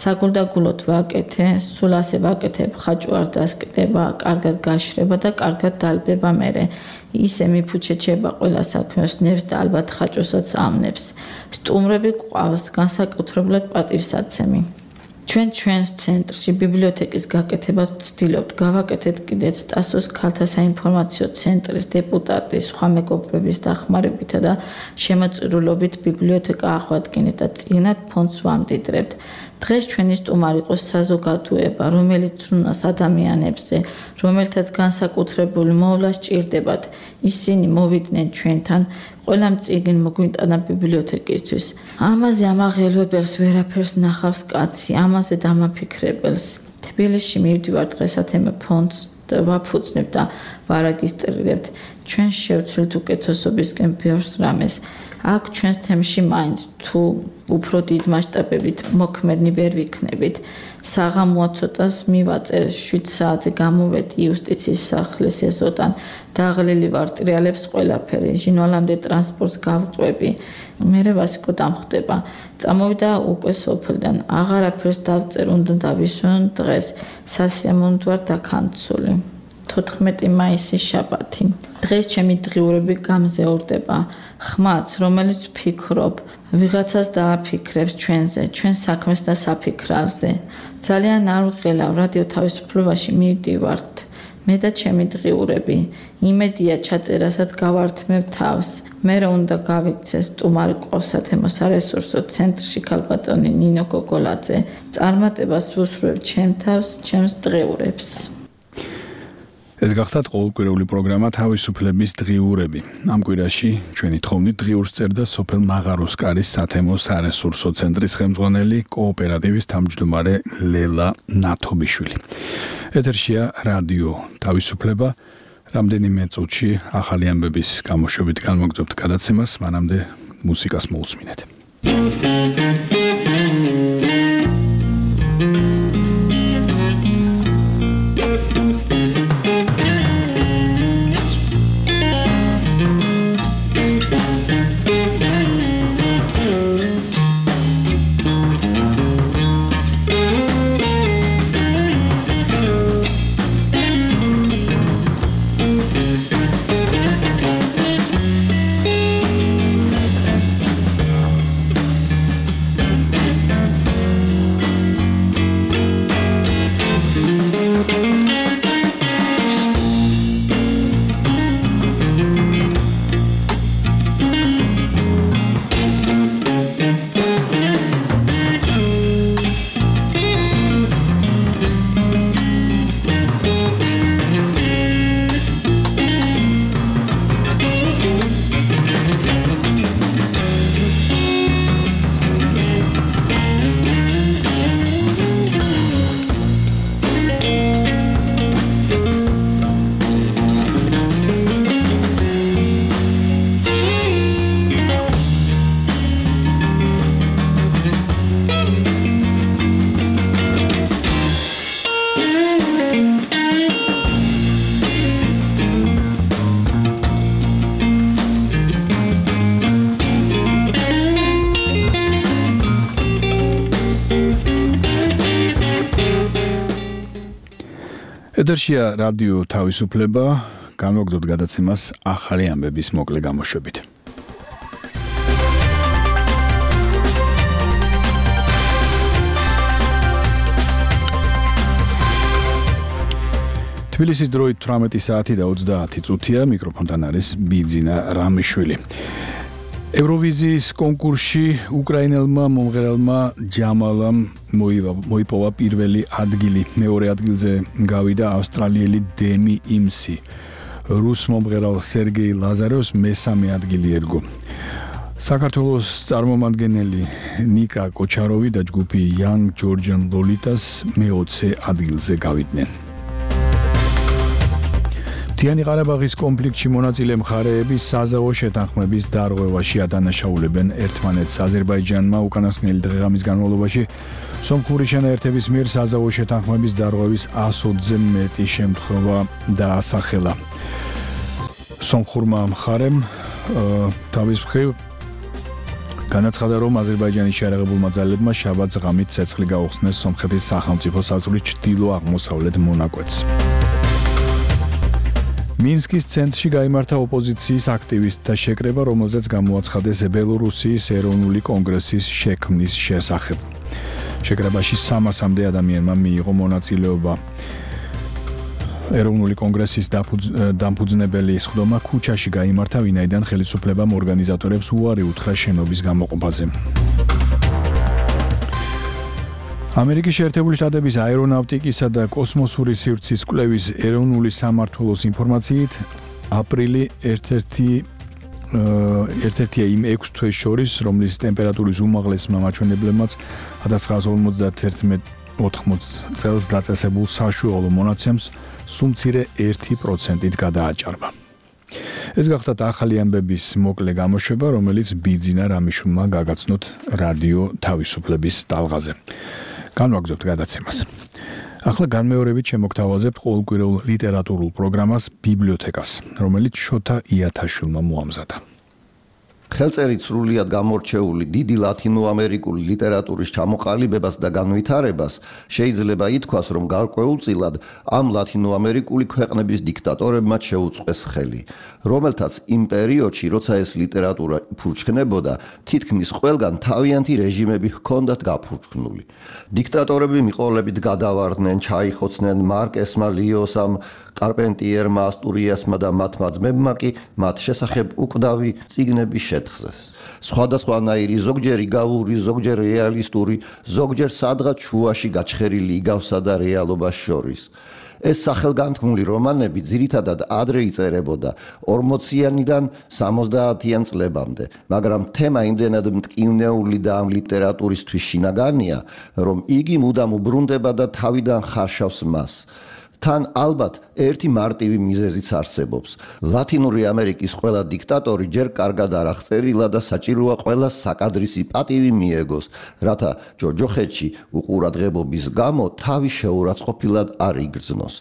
[SPEAKER 4] საგულდაგულოდ ვაკეთე, სულ ასე ვაკეთებ, ხაჭო არ დასკდება, კარგად გაშრება და კარგად დალბება მერე. ისე მიფუჩეჩება ყველა საქმეს ნებს და ალბათ ხაჭოსაც ამნებს. სტუმრები გვყავს, განსაკუთრებულად პატივსაცემი. ჩვენს ცენტრში ბიბლიოთეკის გაკეთებას ვცდილობთ, გავაკეთეთ კიდეც ტასოს ქალთა საინფორმაციო ცენტრის დეპუტატის, სხვა მეგობრების დახმარებითა და შემოწირულობით ბიბლიოთეკა აღვადგინეთ და წიგნად ფონდს ვამდიდრებთ. დღეს ჩვენი სტუმარი იყო საზოგადოება, რომელიც ზრუნავს ადამიანებზე, რომელთაც განსაკუთრებული მოვლა სჭირდებათ. ისინი მოვიდნენ ჩვენთან, ყველამ წიგნი მოგვიტანა ბიბლიოთეკისთვის. ამაზე ამაღელვებელს ვერაფერს ნახავს კაცი, ამაზე დამაფიქრებელს. თბილისში მივდივარ დღესათემე ფონდს და ვაფუძნებ და ვარეგისტრირებთ. ჩვენ შევცვლით უკეთესობისკენ ბევრს რამეს. აქ ჩვენს თემში მაინც თუ უფრო დიდ მასშტაბებით მოქმედნი ვერ ვიქნებით. საღამოა ცოტას მივაწერ 7 საათზე გამოვედი იუსტიციის სახლის ეზოდან. დაღლილი ვარ, ტრიალებს ყველაფერი, ჟინვალამდე ტრანსპორტს გავყვები. მერე ვასიკო დამხვდება. წამოვიდა უკვე სოფლიდან. აღარაფერს დავწერ, უნდა დავისვენ დღეს. სასიამოვნოდ ვარ დაქანცული. 14 მაისი შაბათი. დღეს ჩემი დღიურები გამზეურდება. ხმაც, რომელიც ვფიქრობ, ვიღაცას დააფიქრებს ჩვენზე, ჩვენ საქმეს და საფიქრალზე. ძალიან არ ვღელავ, რადიო თავისუფლებაში მივდივართ. მე და ჩემი დღიურები. იმედია ჩაწერასაც გავართმევ თავს. მე რა უნდა გავიქცეს სტუმარი ყავს სათემო სარესურსო ცენტრში ქალბატონი ნინო გოგოლაძე. წარმატებას ვუსურვებ ჩემ თავს, ჩემს დღიურებს.
[SPEAKER 2] ეს გახდათ ყოველკვირეული პროგრამა თავისუფლების დღიურები. ამ კვირაში ჩვენი თხოვნით დღიურს წერდა სოფელ მაღაროსკარის სათემო სარესურსო ცენტრის ხელმძღვანელი კოოპერატივის თავმჯდომარე ლელა ნათობიშვილი. ეთერშია რადიო თავისუფლება. რამდენიმე წუთში ახალი ამბების გამოშვებით განმოგზავნებთ გადაცემას, მანამდე მუსიკას მოусმინეთ. ეთერშია რადიო თავისუფლება, განვაგრძობთ გადაცემას ახალი ამბების მოკლე გამოშვებით. თბილისის დროით 18 საათი და 30 წუთია, მიკროფონთან არის ბიძინა რამიშვილი. ევროვიზიის კონკურსში უკრაინელმა მომღერალმა ჯამალამ მოიპოვა პირველი ადგილი. მეორე ადგილზე გავიდა ავსტრალიელი დემი იმსი. რუს მომღერალ სერგეი ლაზარევს მესამე ადგილი ერგო. საქართველოს წარმომადგენელი ნიკა კოჩაროვი და ჯგუფი Young Georgian Lolitas მე-20 ადგილზე გავიდნენ. მთიანი ყარაბაღის კონფლიქტში მონაწილე მხარეები საზავო შეთანხმების დარღვევაში ადანაშაულებენ ერთმანეთს. აზერბაიჯანმა უკანასკნელი დღე-ღამის განმავლობაში სომხური შენაერთების მიერ საზავო შეთანხმების დარღვევის 120-ზე მეტი შემთხვევა დაასახელა. სომხურმა მხარემ თავის მხრივ განაცხადა, რომ აზერბაიჯანის შეიარაღებულმა ძალებმა შაბათს ღამით ცეცხლი გაუხსნეს სომხეთის სახელმწიფო საზღვრის ჩრდილო-აღმოსავლეთ მონაკვეთს. მინსკის ცენტრში გაიმართა ოპოზიციის აქტივისტთა შეკრება, რომელზეც გამოაცხადეს ბელორუსიის ეროვნული კონგრესის შექმნის შესახებ. შეკრებაში 300-მდე ადამიანმა მიიღო მონაწილეობა. ეროვნული კონგრესის დამფუძნებელი სხდომა ქუჩაში გაიმართა, ვინაიდან ხელისუფლებამ ორგანიზატორებს უარი უთხრა შენობის გამოყოფაზე. ამერიკის შეერთებული შტატების აერონავტიკისა და კოსმოსური სივრცის კვლევის ეროვნული სამმართველოს ინფორმაციით, აპრილი ერთ-ერთია იმ 6 თვეს შორის, რომლის ტემპერატურის უმაღლესმა მაჩვენებლებმაც 1991-80 წელს დაწესებულ საშუალო მონაცემს სულ მცირე 1%-ით გადააჭარბა. ეს გახლავთ ახალი ამბების მოკლე გამოშვება, რომელიც ბიძინა რამიშვილმა გაგაცნოთ რადიო თავისუფლების ტალღაზე. განვაგრძობთ გადაცემას. ახლა განმეორებით შემოგთავაზებთ ყოველკვირეულ ლიტერატურულ პროგრამას ბიბლიოთეკას, რომელიც შოთა იათაშვილმა მოამზადა.
[SPEAKER 11] ხელწერით სრულიად გამორჩეული დიდი ლათინოამერიკული ლიტერატურის ჩამოყალიბებას და განვითარებას შეიძლება ითქვას, რომ გარკვეულწილად ამ ლათინოამერიკული ქვეყნების დიქტატორებმა შეუწყეს ხელი, რომელთაც იმ პერიოდში, როცა ეს ლიტერატურა ფურჩქნებოდა, თითქმის ყველგან თავიანთი რეჟიმები ჰქონდათ გაფურჩქნული. დიქტატორები მიყოლებით გადავარდნენ, ჩაიხოცნენ მარკესმა ლიოსამ, კარპენტიერმა ასტურიასმა და მათმა ძმებმა კი მათ შესახებ უკვდავი წიგნები შეთხზეს. სხვადასხვანაირი, ზოგჯერ იგავური, ზოგჯერ რეალისტური, ზოგჯერ სადღაც შუაში გაჩხერილი იგავსა და რეალობას შორის. ეს სახელგანთქმული რომანები ძირითადად ადრე იწერებოდა 40-იანიდან 70-იან წლებამდე, მაგრამ თემა იმდენად მტკივნეული და ამ ლიტერატურისთვის შინაგანია, რომ იგი მუდამ უბრუნდება და თავიდან ხარშავს მას. თან ალბათ ერთი მარტივი მიზეზიც არსებობს. ლათინური ამერიკის ყველა დიქტატორი ჯერ კარგად არ აღწერილა და საჭიროა ყველას საკადრისი პატივი მიეგოს, რათა ჯოჯოხეთში უყურადღებობის გამო თავი შეურაცხყოფილად არ იგრძნოს.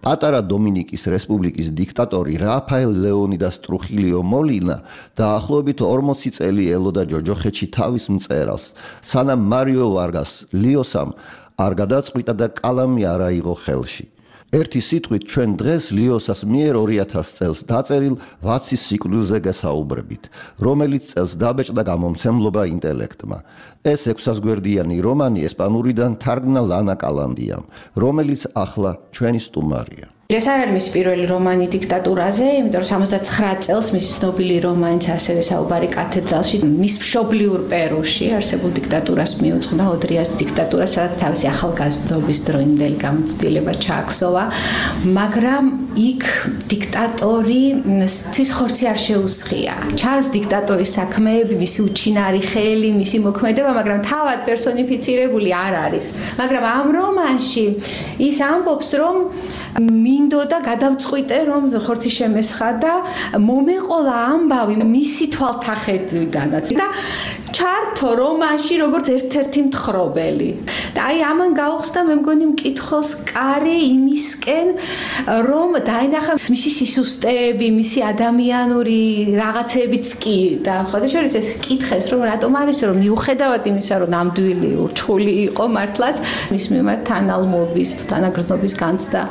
[SPEAKER 11] პატარა დომინიკის რესპუბლიკის დიქტატორი რაფაელ ლეონიდას ტრუხილიო მოლინა დაახლოებით 40 წელი ელოდა ჯოჯოხეთში თავის მწერალს, სანამ მარიო ვარგას ლიოსამ არ გადაწყვიტა და კალამი არ აიღო ხელში. ერთი სიტყვით ჩვენ დღეს ლიოსას მიერ 2000 წელს დაწერილ ვაცის სიკვდილზე გესაუბრებით, რომელიც წელს დაბეჭდა გამომცემლობა ინტელექტმა. ეს 600 გვერდიანი რომანი ესპანურიდან თარგმნა ლანა კალანდიამ, რომელიც ახლა ჩვენი სტუმარია.
[SPEAKER 12] ეს არ არის მისი პირველი რომანი დიქტატურაზე, იმიტომ რომ 79 წელს მისი ცნობილი რომანიც ასევე საუბარი კათედრალში, მის მშობლიურ პერუში არსებულ დიქტატურას მიუძღვნა, ოდრიას დიქტატურას, სადაც თავისი ახალგაზრდობის დროინდელი გამოცდილება ჩააქსოვა, მაგრამ იქ დიქტატორისთვის ხორცი არ შეუსხია. ჩანს დიქტატორის საქმეები, მისი უჩინარი ხელი, მისი მოქმედება, მაგრამ თავად პერსონიფიცირებული არ არის. მაგრამ ამ რომანში ის ამბობს, რომ მინდოდა გადავწყვიტე, რომ ხორცი შემესხა და მომეყოლა ამბავი მისი თვალთახედვიდანაც და ჩართო რომანში როგორც ერთ-ერთი მთხრობელი. და აი ამან გაუხსნა მე მგონი მკითხველს კარი იმისკენ, რომ დაინახა მისი სისუსტეები, მისი ადამიანური რაღაცებიც კი და სხვადასხვა ეს კითხეს, რომ რატომ არის რომ მიუხედავად იმისა, რომ ნამდვილი ურჩხული იყო მართლაც მის მიმართ თანალმობის, თანაგრძნობის განცდა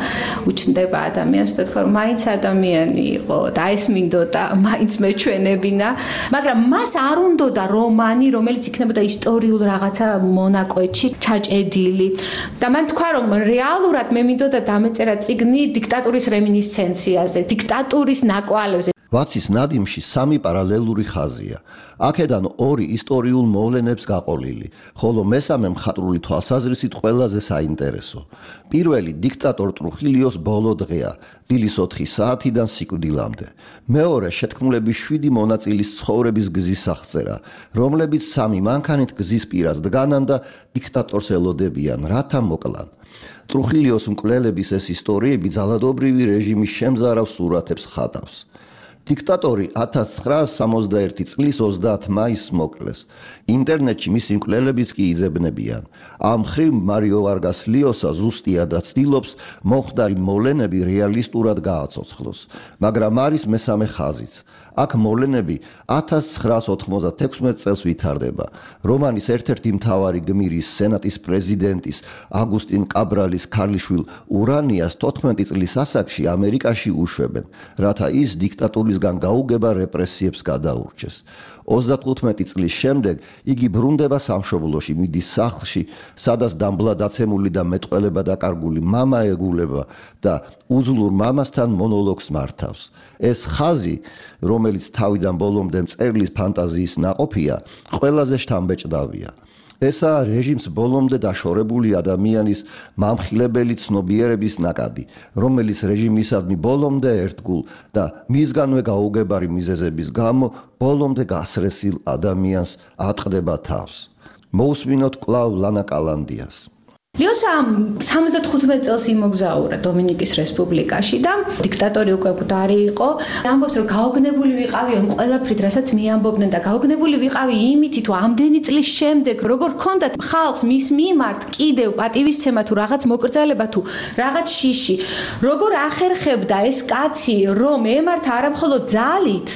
[SPEAKER 12] უჩნდება ადამიანს, და თქვა რომ მაინც ადამიანი იყო და ეს მინდოდა მაინც მეჩვენებინა, მაგრამ მას არ უნდოდა რომანი, რომელიც იქნებოდა ისტორიულ რაღაცა მონაკვეთში ჩაჭედილი. და მან თქვა რომ რეალურად მე მინდოდა დამეწერა წიგნი დიქტატურის რემინისცენციაზე, დიქტატურის ნაკვალებზე.
[SPEAKER 11] ვაცის ნადიმში სამი პარალელური ხაზია. აქედან ორი ისტორიულ მოვლენებს გაყოლილი, ხოლო მესამე მხატვრული თვალსაზრისით ყველაზე საინტერესო. პირველი დიქტატორ ტრუხილიოს ბოლო დღეა, დილის 4 საათიდან სიკვდილამდე. მეორე შეთქმულების 7 მონაწილის ცხოვრების გზის აღწერა, რომლებიც სამი მანქანით გზის პირას დგანან და დიქტატორს ელოდებიან, რათა მოკლან. ტრუხილიოს მკვლელების ეს ისტორიები ძალადობრივი რეჟიმის შემზარავ სურათებს ხატავს. დიქტატორი 1961 წლის 30 მაისს მოკლეს. ინტერნეტში მისი მკვლელებიც კი იძებნებიან. ამ ხრივ მარიო ვარგას ლიოსა ზუსტიადაც ცდილობს მომხდარი მოვლენები რეალისტურად გააცოცხლოს, მაგრამ არის მესამე ხაზიც. აქ მოვლენები 1996 წელს ვითარდება. რომანის ერთ-ერთი მთავარი გმირის, სენატის პრეზიდენტის აგუსტინ კაბრალის ქალიშვილ ურანიას 14 წლის ასაკში ამერიკაში უშვებენ, რათა ის დიქტატურისგან გაუგება რეპრესიებს გადაურჩეს. 35 წლის შემდეგ იგი ბრუნდება სამშობლოში, მიდის სახლში, სადაც დამბლა დაცემული და მეტყველება დაკარგული მამა ეგულება და უძლურ მამასთან მონოლოგს მართავს. ეს ხაზი, რომელიც თავიდან ბოლომდე მწერლის ფანტაზიის ნაყოფია, ყველაზე შთამბეჭდავია. ესაა რეჟიმს ბოლომდე დაშორებული ადამიანის მამხილებელი ცნობიერების ნაკადი, რომელიც რეჟიმისადმი ბოლომდე ერთგულ და მისგანვე გაუგებარი მიზეზების გამო ბოლომდე გასრესილ ადამიანს ატყდება თავს. მოусმინოთ კვლავ ლანა კალანდიას.
[SPEAKER 12] ლიოსა 75 წელს იმოგზაურა დომინიკის რესპუბლიკაში და დიქტატორი უკვე მკვდარი იყო. ამბობს რომ გაოგნებული ვიყავი ამ ყველაფრით, რასაც მიამბობდნენ და გაოგნებული ვიყავი იმითი თუ ამდენი წლის შემდეგ როგორ ჰქონდათ ხალხს მის მიმართ კიდევ პატივისცემა თუ რაღაც მოკრძალება თუ რაღაც შიში, როგორ ახერხებდა ეს კაცი რომ ემართა არა მხოლოდ ძალით,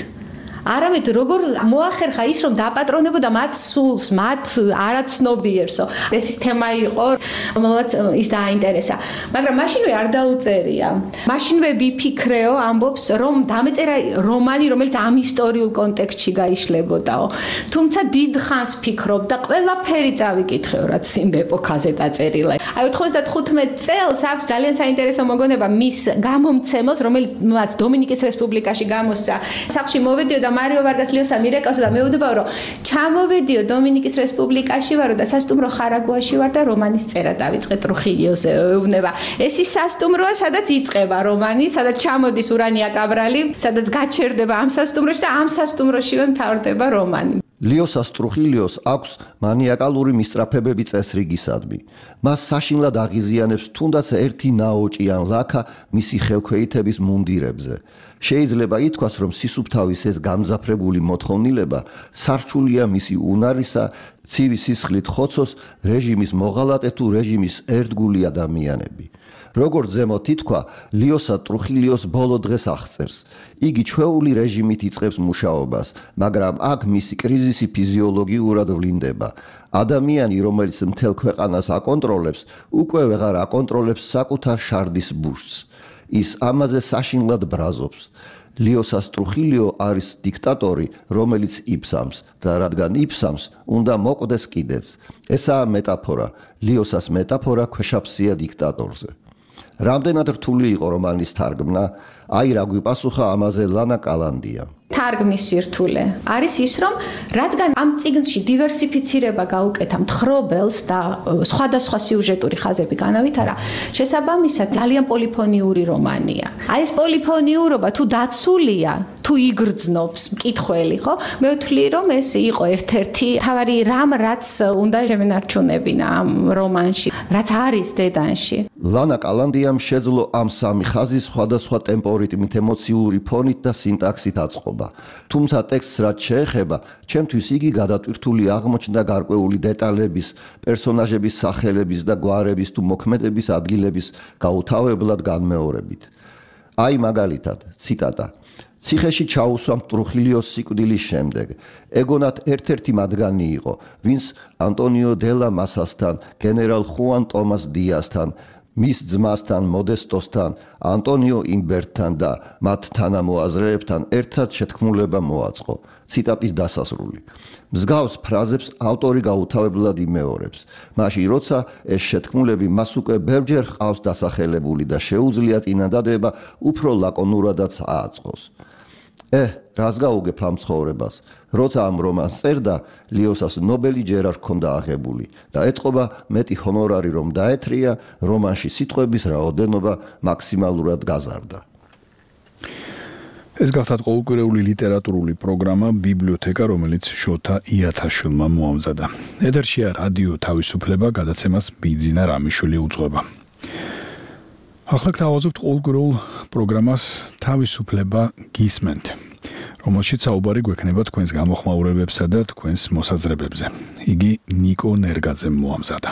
[SPEAKER 12] არამედ როგორ მოახერხა ის რომ დაპატრონებოდა მათ სულს, მათ არაცნობიერსო. ეს ის თემა იყო, რომელსაც ის დააინტერესა. მაგრამ მაშინვე არ დაუწერია. მაშინვე ვიფიქრეო, ამბობს, რომ დამეწერა რომანი, რომელიც ამ ისტორიულ კონტექსტში გაიშლებოდაო. თუმცა დიდ ხანს ფიქრობდა, ყველაფერი წავიკითხეო, რაც იმ ეპოქაზე დაწერილა. აი 95 წელს აქვს ძალიან საინტერესო მოგონება მის გამომცემელს, რომელიც დომინიკის რესპუბლიკაში გამოსცა. სახლში მოვედიო და მარიო ვარგას ლიოსა მირეკავსა და მეუბნებაო რომ ჩამოვედიო დომინიკის რესპუბლიკაში ვარო და სასტუმრო ხარაგუაში ვარ და რომანის წერა დავიწყე ტრუხილიოზე ეუბნება. ეს ის სასტუმროა, სადაც იწყება რომანი, სადაც ჩამოდის ურანია კაბრალი, სადაც გაჩერდება ამ სასტუმროში და ამ სასტუმროშივე მთავრდება რომანი.
[SPEAKER 11] ლიოსას ტრუხილიოს აქვს მანიაკალური მისწრაფებები წესრიგისადმი. მას საშინლად აღიზიანებს თუნდაც ერთი ნაოჭი ან ლაქა მისი ხელქვეითების მუნდირებზე. შეიძლება ითქვას, რომ სისუფთავის ეს გამძაფრებული მოთხოვნილება სარჩულია მისი უნარისა, ცივი სისხლით ხოცოს რეჟიმის მოღალატე თუ რეჟიმის ერთგული ადამიანები. როგორც ზემოთ ითქვა, ლიოსა ტრუხილიოს ბოლო დღეს აღწერს. იგი ჩვეული რეჟიმით იწყებს მუშაობას, მაგრამ აქ მისი კრიზისი ფიზიოლოგიურად ვლინდება. ადამიანი, რომელიც მთელ ქვეყანას აკონტროლებს, უკვე ვეღარ აკონტროლებს საკუთარ შარდის ბუშს. ის ამაზე საშინლად ბრაზობს. ლიოსას ტრუხილიო არის დიქტატორი, რომელიც იფსამს და რადგან იფსამს, უნდა მოკვდეს კიდეც. ესაა მეტაფორა, ლიოსას მეტაფორა ქვეშაფსია დიქტატორზე. რამდენად რთული იყო რომანის თარგმნა? აი რა გვიპასუხა ამაზე ლანა კალანდია.
[SPEAKER 12] თარგმნის სირთულე არის ის, რომ რადგან ამ წიგნში დივერსიფიცირება გაუკეთა მთხრობელს და სხვადასხვა სიუჟეტური ხაზები განავითარა, შესაბამისად ძალიან პოლიფონიური რომანია. აი ეს პოლიფონიურობა თუ დაცულია, თუ იგრძნობს მკითხველი, ხო? მე ვთვლი, რომ ეს იყო ერთ-ერთი თავარი რამ, რაც უნდა შემენარჩუნებინა ამ რომანში, რაც არის დედანში.
[SPEAKER 11] ლანა კალანდიამ შეძლო ამ სამი ხაზის სხვადასხვა ტემპო ალგორითმით, ემოციური ფონით და სინტაქსით აწყობა. თუმცა ტექსტს რაც შეეხება, ჩემთვის იგი გადატვირთული აღმოჩნდა გარკვეული დეტალების, პერსონაჟების სახელების და გვარების თუ მოქმედების ადგილების გაუთავებლად განმეორებით. აი მაგალითად, ციტატა. ციხეში ჩაუსვა მტრუხილიოს სიკვდილის შემდეგ. ეგონათ ერთ-ერთი მათგანი იყო, ვინც ანტონიო დელა მასასთან, გენერალ ხუან ტომას დიასთან, მის ძმასთან, მოდესტოსთან, ანტონიო იმბერტთან და მათ თანამოაზრეებთან ერთად შეთქმულება მოაწყო. ციტატის დასასრული. მსგავს ფრაზებს ავტორი გაუთავებლად იმეორებს. მაშინ როცა ეს შეთქმულები მას უკვე ბევრჯერ ჰყავს დასახელებული და შეუძლია წინადადება უფრო ლაკონურადაც ააწყოს. რას გაუგებ ამ ცხოვრებას? როცა ამ რომანს წერდა, ლიოსას ნობელი ჯერ არ ჰქონდა აღებული და ეთყობა მეტი ჰონორარი რომ დაეთრია, რომანში სიტყვების რაოდენობა მაქსიმალურად გაზარდა.
[SPEAKER 2] ეს გახლავთ ყოველკვირეული ლიტერატურული პროგრამა ბიბლიოთეკა, რომელიც შოთა იათაშვილმა მოამზადა. ეთერშია რადიო თავისუფლება, გადაცემას ბიძინა რამიშვილი უძღვება. ახლა გთავაზობთ ყოველკვირეულ პროგრამას თავისუფლება გისმენთ, რომელშიც საუბარი გვექნება თქვენს გამოხმაურებებსა და თქვენს მოსაზრებებზე. იგი ნიკო ნერგაძემ მოამზადა.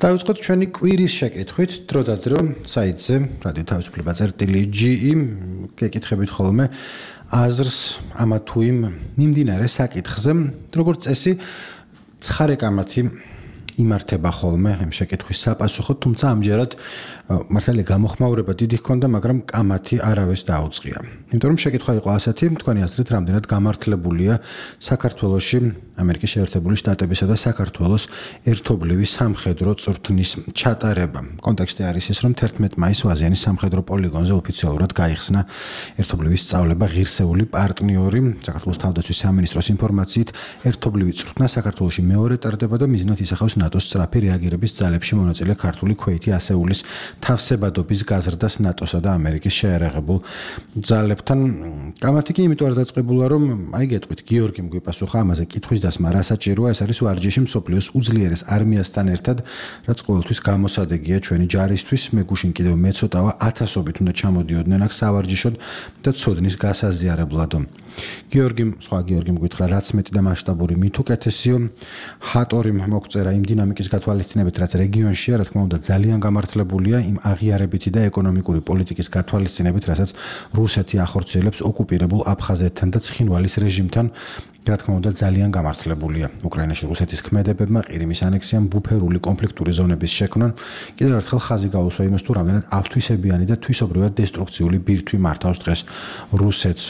[SPEAKER 5] დავიწყოთ ჩვენი კვირის შეკითხვით, დრო და დრო საიტზე რადიო თავისუფლება.ge გეკითხებით ხოლმე აზრს ამა თუ იმ მიმდინარე საკითხზე, როგორც წესი, ცხარე კამათი იმართება ხოლმე ამ შეკითხვის საპასუხოდ, თუმცა ამჯერად მართალია გამოხმაურება დიდი ჰქონდა, მაგრამ კამათი არავეს დაუწყია. იმიტომ რომ შეკითხვა იყო ასეთი, თქვენი აზრით, რამდენად გამართლებულია საქართველოში ამერიკის შეერთებული შტატებისა და საქართველოს ერთობლივი სამხედრო წვრთნის ჩატარება. კონტექსტი არის ის, რომ 11 მაისს ვაზიანის სამხედრო პოლიგონზე ოფიციალურად გაიხსნა ერთობლივი სწავლება ღირსეული პარტნიორი. საქართველოს თავდაცვის სამინისტროს ინფორმაციით, ერთობლივი წვრთნა საქართველოში მეორე ტარდება და მიზნად ისახავს ნატოს სწრაფი რეაგირების ძალებში მონაწილე ქართული ქვეითი ასეულის თავსებადობის გაზრდას ნატოსა და ამერიკის შეერაღებულ ძალებთან. კამათი კი იმიტომ არ დაწყებულა, რომ აი გეტყვით, გიორგიმ გვიპასუხა ამაზე კითხვის დასმა რა საჭიროა, ეს არის ვარჯიში მსოფლიოს უძლიერეს არმიასთან ერთად, რაც ყოველთვის გამოსადეგია ჩვენი ჯარისთვის. მე გუშინ კიდევ მეცოტავა, ათასობით უნდა ჩამოდიოდნენ აქ სავარჯიშოდ და ცოდნის გასაზიარებლად. სხვა გიორგიმ გითხრა, რაც მეტი და მასშტაბური, მით უკეთესიო. ჰატორიმ მოგწერა იმ დინამიკის გათვალისწინებით, რაც რეგიონშია, რა თქმა უნდა, ძალიან გამართლებულია იმ აღიარებითი და ეკონომიკური პოლიტიკის გათვალისწინებით, რასაც რუსეთი ახორციელებს ოკუპირებულ აფხაზეთთან და ცხინვალის რეჟიმთან. რა თქმა უნდა, ძალიან გამართლებულია უკრაინაში რუსეთის ქმედებებმა ყირიმის ანექსიამ, ბუფერული კონფლიქტური ზონების შექმნან. კიდევ ერთხელ ხაზი გაუსვა იმას, თუ რამდენად აფთვისებიანი და თვისობრივად დესტრუქციული ბირთვი მართავს დღეს რუსეთს.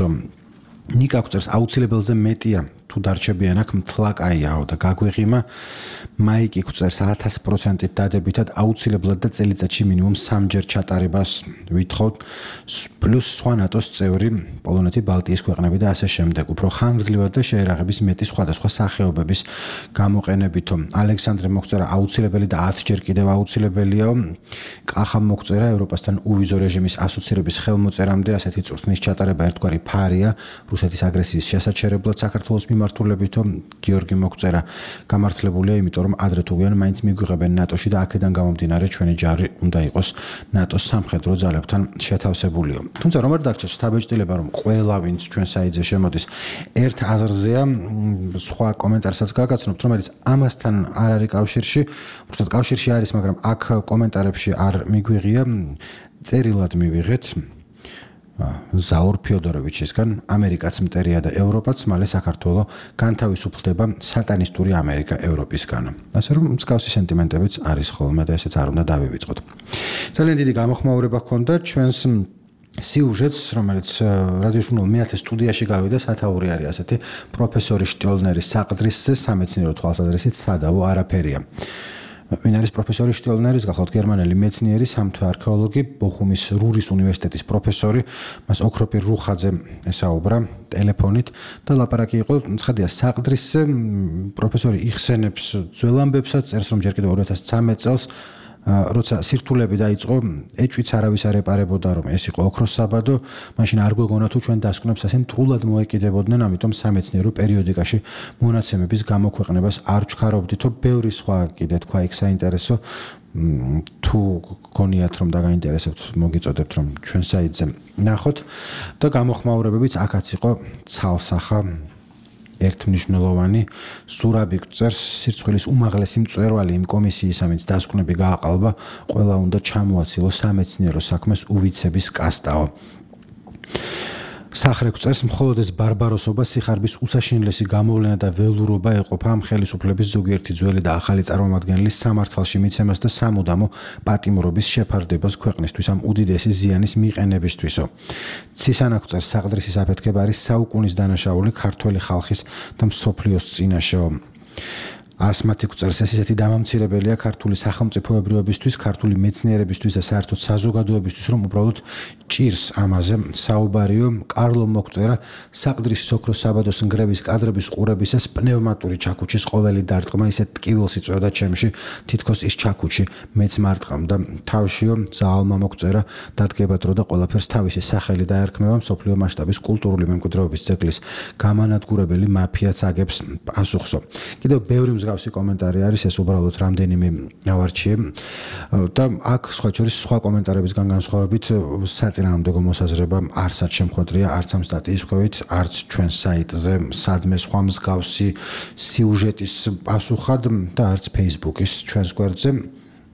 [SPEAKER 5] ნიკა გვწერს, აუცილებელზე მეტია თუ დარჩებიან აქ მთლაკაიაო და გაგვეღიმა. მაიკი გვწერს 1000%-ით დადებითად აუცილებლად და წელიწადში მინიმუმ 3-ჯერ ჩატარებას ვითხოვთ, პლუს სხვა ნატოს წევრი პოლონეთი, ბალტიის ქვეყნები და ასე შემდეგ. უფრო ხანგრძლივად და შეერაღების მეტი სხვადასხვა სახეობების გამოყენებითო. ალექსანდრე მოგწერა, აუცილებელი და 10-ჯერ კიდევ აუცილებელიაო. კახამ მოგწერა, ევროპასთან უვიზო რეჟიმის ასოცირების ხელმოწერამდე ასეთი წვრთნის ჩატარება ერთგვარი ფარია რუსეთის აგრესიის შესაჩერებლად საქართველოს მიმართულებითო. გიორგი მოგწერა, გამართლებულია, იმიტომ რომ ადრე თუ გვიან მაინც მიგვიღებენ ნატოში და აქედან გამომდინარე ჩვენი ჯარი უნდა იყოს ნატოს სამხედრო ძალებთან შეთავსებულიო. თუმცა რომ არ დაგჭირს შთაბეჭდილება, რომ ყველა ვინც ჩვენ საიტზე შემოდის ერთ აზრზეა, სხვა კომენტარსაც გაგაცნობთ, რომელიც ამასთან არ არის კავშირში, უბრალოდ კავშირში არის, მაგრამ აქ კომენტარებში არ მიგვიღია, წერილად მივიღეთ ზაურ ფიოდოროვიჩისგან, ამერიკაც მტერია და ევროპაც, მალე საქართველო განთავისუფლდება სატანისტური ამერიკა ევროპისგან. ასე რომ მსგავსი სენტიმენტებიც არის ხოლმე და ესეც არ უნდა დავივიწყოთ. ძალიან დიდი გამოხმაურება ჰქონდა ჩვენს სიუჟეტს, რომელიც რადიოჟურნალ მეათე სტუდიაში გავიდა, სათაური არის ასეთი, პროფესორი შტიოლნერის საყდრისზე სამეცნიერო თვალსაზრისით სადავო არაფერია. ვინ არის პროფესორი შტიოლნერის? გახლავთ გერმანელი მეცნიერი, სამთო არქეოლოგი, ბოხუმის რურის უნივერსიტეტის პროფესორი. მას ოქროპირ რუხაძე ესაუბრა ტელეფონით და ლაპარაკი იყო, ცხადია, საყდრისზე. პროფესორი იხსენებს ძველ ამბებსაც, წერს, რომ ჯერ კიდევ 2013 წელს როცა სირთულები დაიწყო, ეჭვიც არავის არ ეპარებოდა, რომ ეს იყო ოქროს საბადო, მაშინ არ გვეგონა თუ ჩვენ დასკვნებს ასე მტრულად მოეკიდებოდნენ, ამიტომ სამეცნიერო პერიოდიკაში მონაცემების გამოქვეყნებას არ ჩქარობდითო, ბევრი სხვა კიდე თქვა იქ საინტერესო თუ გონიათ რომ დაგაინტერესებთ, მოგიწოდებთ რომ ჩვენ საიტზე ნახოთ და გამოხმაურებებიც აქაც იყო ცალსახა ერთმნიშვნელოვანი ზურაბი წერს სირცხვილის უმაღლესი მწვერვალი იმ კომისიის ამით დასკვნები გააყალბა, ყველა უნდა ჩამოაცილოს სამეცნიერო საქმეს უვიცების კასტაო. სახრე წერს მხოლოდ ეს ბარბაროსობა, სიხარბის უსაშინლესი გამოვლენა და ველურობა ეყოფა ამ ხელისუფლების ზოგიერთი ძველი და ახალი წარმომადგენლის სამართალში მიცემას და სამუდამო პატიმრობის შეფარდებას ქვეყნისთვის ამ უდიდესი ზიანის მიყენებისთვისო. ცისანაკ წერს საყდრისის აფეთქება არის საუკუნის დანაშაული ქართველი ხალხის და მსოფლიოს წინაშეო. ასმათი წერს ეს ისეთი დამამცირებელია ქართული სახელმწიფოებრიობისთვის, ქართული მეცნიერებისთვის და საერთოდ საზოგადოებისთვის, რომ უბრალოდ ჭირს ამაზე საუბარიო. კარლო მოგწერა საყდრისის ოქროს საბადოს ნგრევის კადრების ყურებისას პნევმატური ჩაქუჩის ყოველი დარტყმა ისეთ ტკივილს იწვევდა ჩემში, თითქოს ის ჩაქუჩი მეც მარტყამდა თავშიო. ზაალმა მოგწერა დადგება დრო და ყველაფერს თავისი სახელი დაერქმევა, მსოფლიო მასშტაბის კულტურული მემკვიდრეობის ძეგლის გამანადგურებელი მაფიაც აგებს პასუხსო. კიდევ ბევრი მსგავსი კომენტარი არის, ეს უბრალოდ რამდენიმე ავარჩიე და აქ სხვა შორის სხვა კომენტარებისგან განსხვავებით საწინააღმდეგო მოსაზრება არცაც შემხვედრია, არც ამ სტატიის ქვევით, არც ჩვენ საიტზე სადმე სხვა მსგავსი სიუჟეტის პასუხად და არც Facebook-ის ჩვენს გვერდზე.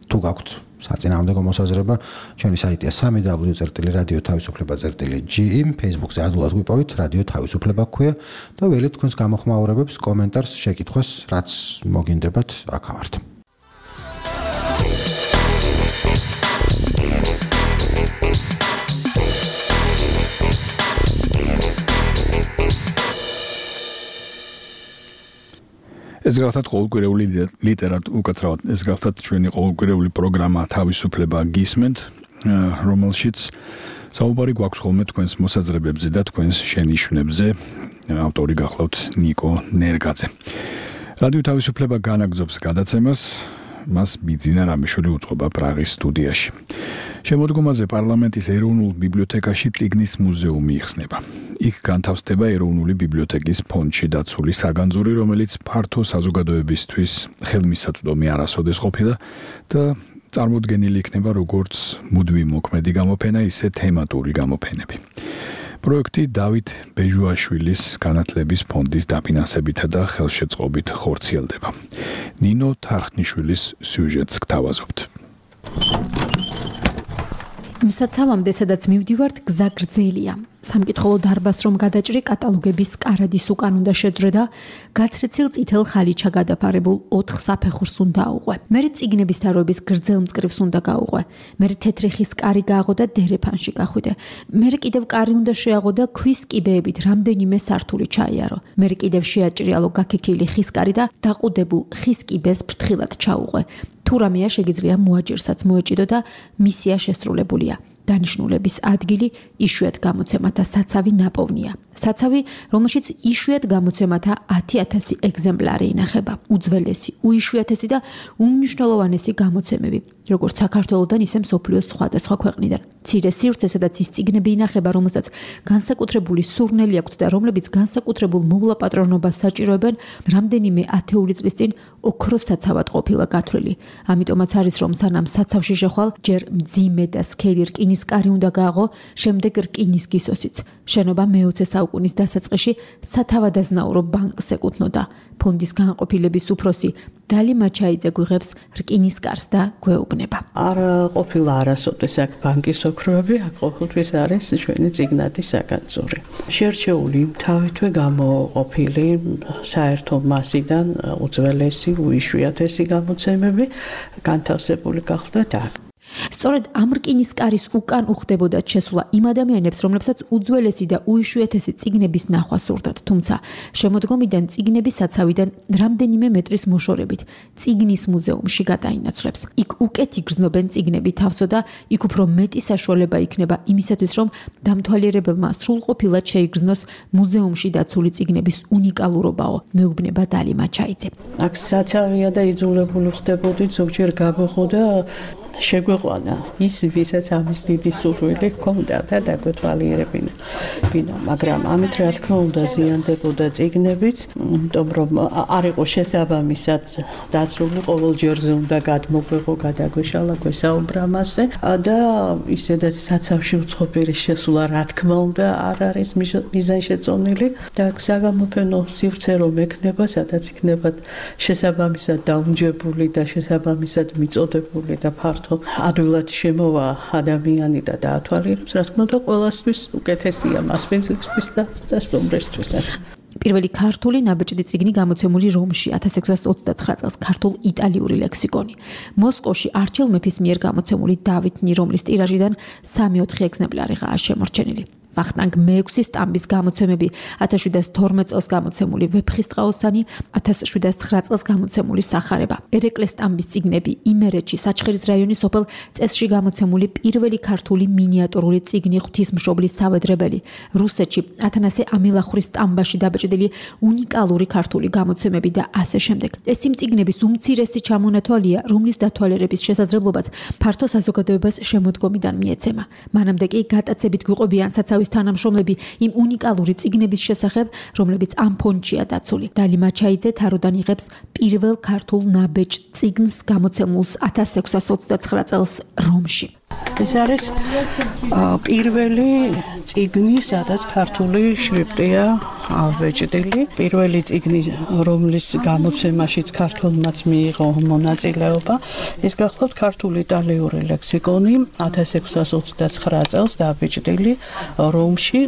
[SPEAKER 5] თუ გაქვთ საწინააღმდეგო მოსაზრება, ჩვენი საიტია www.radio-თავისუფლება.ge, Facebook-ზე ადვილად გვიპოვით, რადიო თავისუფლება გქვია და ველით თქვენს გამოხმაურებებს, კომენტარს, შეკითხვას, რაც მოგინდებათ, აქ ვართ.
[SPEAKER 2] ეს გახლავთ ყოველკვირეული ლიტერატურა, უკეთრავად ეს გახლავთ ჩვენი ყოველკვირეული პროგრამა თავისუფლება გისმენთ, რომელშიც საუბარი გვაქვს ხოლმე თქვენს მოსაზრებებზე და თქვენს შენიშვნებზე. ავტორი გახლავთ ნიკო ნერგაძე. რადიო თავისუფლება განაგრძობს გადაცემას, მას ბიძინა რამიშვილი უწყობა პრაღის სტუდიაში. შემოდგომაზე პარლამენტის ეროვნულ ბიბლიოთეკაში წიგნის მუზეუმი იხსნება. იქ განთავსდება ეროვნული ბიბლიოთეკის ფონდში დაცული საგანძური, რომელიც ფართო საზოგადოებისთვის ხელმისაწვდომი არასოდეს ყოფილა და წარმოდგენილი იქნება როგორც მუდმივი მოქმედი გამოფენა, ისე თემატური გამოფენები. პროექტი დავით ბეჟუაშვილის განათლების ფონდის დაფინანსებითა და ხელშეწყობით ხორციელდება. ნინო თარხნიშვილის სიუჟეტს გთავაზობთ.
[SPEAKER 3] მსაცავამდე, სადაც მივდივართ, გზა გრძელია. სამკითხველო დარბაზს რომ გადაჭრი, კატალოგების კარადის უკან უნდა შეძრე და გაცრეცილ წითელ ხალიჩა გადაფარებულ 4 საფეხურს უნდა აუყვე. მერე წიგნების თაროების გრძელ მწკრივს უნდა გაუყვე. მერე თეთრი ხის კარი გააღო და დერეფანში გახვიდე. მერე კიდევ კარი უნდა შეაღო და ქვის კიბეებით რამდენიმე სართული ჩაიარო. მერე კიდევ შეაჭრიალო გაქიქილი ხის კარი და დაყუდებულ ხის კიბეს ფრთხილად ჩაუყვე. თუ რამეა შეგიძლია მოაჯირსაც მოეჭიდო და მისია შესრულებულია. დანიშნულების ადგილი იშვიათ გამოცემათა საცავი ნაპოვნია. საცავი, რომელშიც იშვიათ გამოცემათა 10,000 ეგზემპლარი ინახება. უძველესი, უიშვიათესი და უმნიშვნელოვანესი გამოცემები, როგორც საქართველოდან, ისე მსოფლიოს სხვადასხვა ქვეყნიდან. მცირე სივრცე, სადაც ის წიგნები ინახება, რომელსაც განსაკუთრებული სურნელი აქვთ და რომლებიც განსაკუთრებულ მოვლაპატრონობას საჭიროებენ, რამდენიმე ათეული წლის წინ ოქროს საცავად ყოფილა გათვლილი. ამიტომაც არის, რომ სანამ საცავში შეხვალ, ჯერ მძიმე და სქელი რკინის კარი უნდა გააღო, შემდეგ რკინის გისოსიც. შენობა მე-20 საუკუნის დასაწყისში სათავადაზნაურო ბანკს ეკუთვნოდა. ფონდის განყოფილების უფროსი დალი მაჩაიძე გვიღებს რკინის კარს და გვეუბნება.
[SPEAKER 13] არ ყოფილა არასოდეს აქ ბანკის ოქროები, აქ ყოველთვის არის ჩვენი წიგნადის საგანძური. შერჩეული თავითვე გამოყოფილი საერთო მასიდან უძველესი, უიშვიათესი გამოცემები განთავსებული გახლდათ აქ.
[SPEAKER 14] სწორედ ამ რკინის კარის უკან უხდებოდა შესვლა იმ ადამიანებს, რომლებსაც უძველესი და უიშვიათესი წიგნების ნახვა სურდათ, თუმცა შემოდგომიდან წიგნების საცავიდან რამდენიმე მეტრის მოშორებით წიგნის მუზეუმში გადაინაცვლებს. იქ უკეთ იგრძნობენ წიგნები თავსო და იქ უფრო მეტი საშუალება იქნება იმისათვის, რომ დამთვალიერებელმა სრულყოფილად შეიგრძნოს მუზეუმში დაცული წიგნების უნიკალურობაო, მეუბნება დალი მაჩაიძე.
[SPEAKER 13] აქ საცავია და იძულებული ხდებოდით ზოგჯერ გაგვეხოდა შეგვეყვანა ის, ვისაც ამის დიდი სურვილი ჰქონდა და დაგვეთვალიერებინა. მაგრამ ამით რა თქმა უნდა ზიანდებოდა წიგნებიც, იმიტომ რომ არ იყო შესაბამისად დაცული, ყოველ ჯერზე უნდა გადმოგვეღო, გადაგვეშალა, გვესაუბრა მასზე და ისედაც საცავში უცხოპირი შესვლა რა თქმა უნდა არ არის მიზანშეწონილი და საგამოფენო სივრცე რომ ექნება, სადაც იქნება შესაბამისად დაუნჯებული და შესაბამისად მიწოდებული და ფართო ადვილად შემოვა ადამიანი და დაათვალიერებს, რა თქმა უნდა, ყველასთვის უკეთესია მასპინძლისთვის და სტუმრისთვისაც.
[SPEAKER 14] პირველი ქართული ნაბეჭდი წიგნი გამოცემული რომში 1629 წელს ქართულ-იტალიური ლექსიკონი. მოსკოვში არჩილ მეფის მიერ გამოცემული დავით ნირომლის ტირაჟიდან 3-4 ეგზემპლარიღაა შემორჩენილი. ვახტანგ მეექვსი სტამბის გამოცემები 1712 წელს გამოცემული ვეფხისტყაოსანი, 1709 წელს გამოცემული სახარება. ერეკლე სტამბის წიგნები იმერეთში საჩხერის რაიონის სოფელ წესში გამოცემული პირველი ქართული მინიატურული წიგნი ღვთისმშობლის სავედრებელი. რუსეთში ათანასე ამილახურის სტამბაში დაბეჭდილი უნიკალური ქართული გამოცემები და ასე შემდეგ. ეს იმ წიგნების უმცირესი ჩამონათვალია, რომლის დათვალიერების შესაძლებლობაც ფართო საზოგადოებას შემოდგომიდან მიეცემა. მანამდე კი გატაცებით გვიყვებიან საცავის თანამშრომლები იმ უნიკალური წიგნების შესახებ, რომლებიც ამ ფონდშია დაცული. დალი მაჩაიძე თაროდან იღებს პირველ ქართულ ნაბეჭ წიგნს გამოცემულს 1629 წელს რომში.
[SPEAKER 13] ეს არის პირველი წიგნი, სადაც ქართული შრიფტია ავეჭდილი. პირველი წიგნი, რომლის გამოცემაშიც ქართულმაც მიიღო მონაწილეობა, ეს გახლავთ ქართულ-იტალიური ლექსიკონი 1629 წელს დაბეჭდილი რომში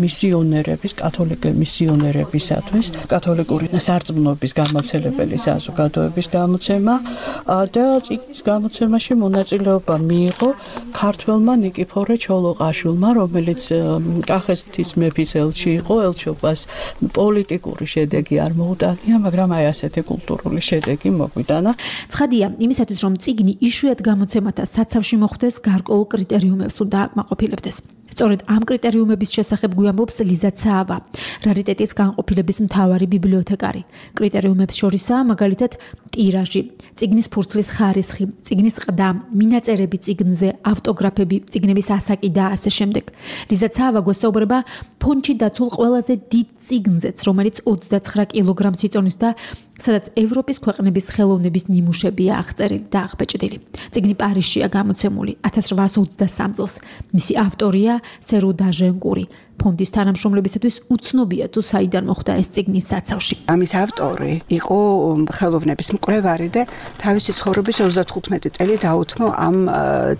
[SPEAKER 13] მისიონერების, კათოლიკე მისიონერებისათვის, კათოლიკური სარწმუნოების გამავრცელებელი საზოგადოების გამოცემა და წიგნის გამოცემაში მონაწილეობა მიიღო ქართველმა ნიკიფორე ჩოლოყაშვილმა, რომელიც კახეთის მეფის ელჩი იყო, ელჩობას პოლიტიკური შედეგი არ მოუტანია, მაგრამ აი ასეთი კულტურული შედეგი მოგვიტანა.
[SPEAKER 14] ცხადია, იმისათვის რომ წიგნი იშვიათ გამოცემათა საცავში მოხვდეს, გარკვეულ კრიტერიუმებს უნდა აკმაყოფილებდეს. სწორედ ამ კრიტერიუმების შესახებ გვიამბობს ლიზა ცაავა, რარიტეტის განყოფილების მთავარი ბიბლიოთეკარი. კრიტერიუმებს შორისაა მაგალითად ტირაჟი, წიგნის ფურცლის ხარისხი, წიგნის ყდა, მინაწერები წიგნზე, ავტოგრაფები, წიგნების ასაკი და ასე შემდეგ. ლიზა ცაავა გვესაუბრება ფონდში დაცულ ყველაზე დიდ წიგნზეც, რომელიც 29 კილოგრამს იწონის და სადაც ევროპის ქვეყნების ხელოვნების ნიმუშებია აღწერილი და აღბეჭდილი. წიგნი პარიზშია გამოცემული 1823 წელს. მისი ავტორია სერუ დაჟენკური. ფონდის თანამშრომლებისათვის უცნობია თუ საიდან მოხვდა ეს წიგნის საცავში.
[SPEAKER 15] ამის ავტორი იყო ხელოვნების მკვლევარი და თავისი ცხოვრების 35 წელი დაუთმო ამ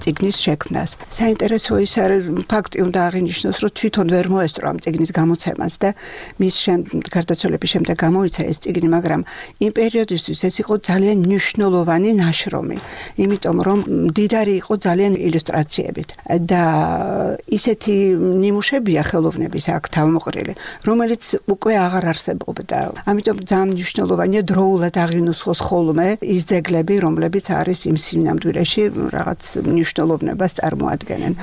[SPEAKER 15] წიგნის შექმნას. საინტერესო ის არის ფაქტი უნდა აღინიშნოს, რომ თვითონ ვერ მოესწრო ამ წიგნის გამოცემას და მის გარდაცვალების შემდეგ გამოიცა ეს წიგნი, მაგრამ იმ პერიოდისთვის ეს იყო ძალიან მნიშვნელოვანი ნაშრომი, იმიტომ რომ მდიდარი იყო ძალიან ილუსტრაციებით და ისეთი ნიმუშებია ხელოვნების აქ თავმოყრილი, რომელიც უკვე აღარ არსებობდა. ამიტომ ძალიან მნიშვნელოვანია დროულად აღინუსხოს ხოლმე ის ძეგლები, რომლებიც არის იმ სინამდვილეში რაღაც მნიშვნელოვნებას წარმოადგენენ.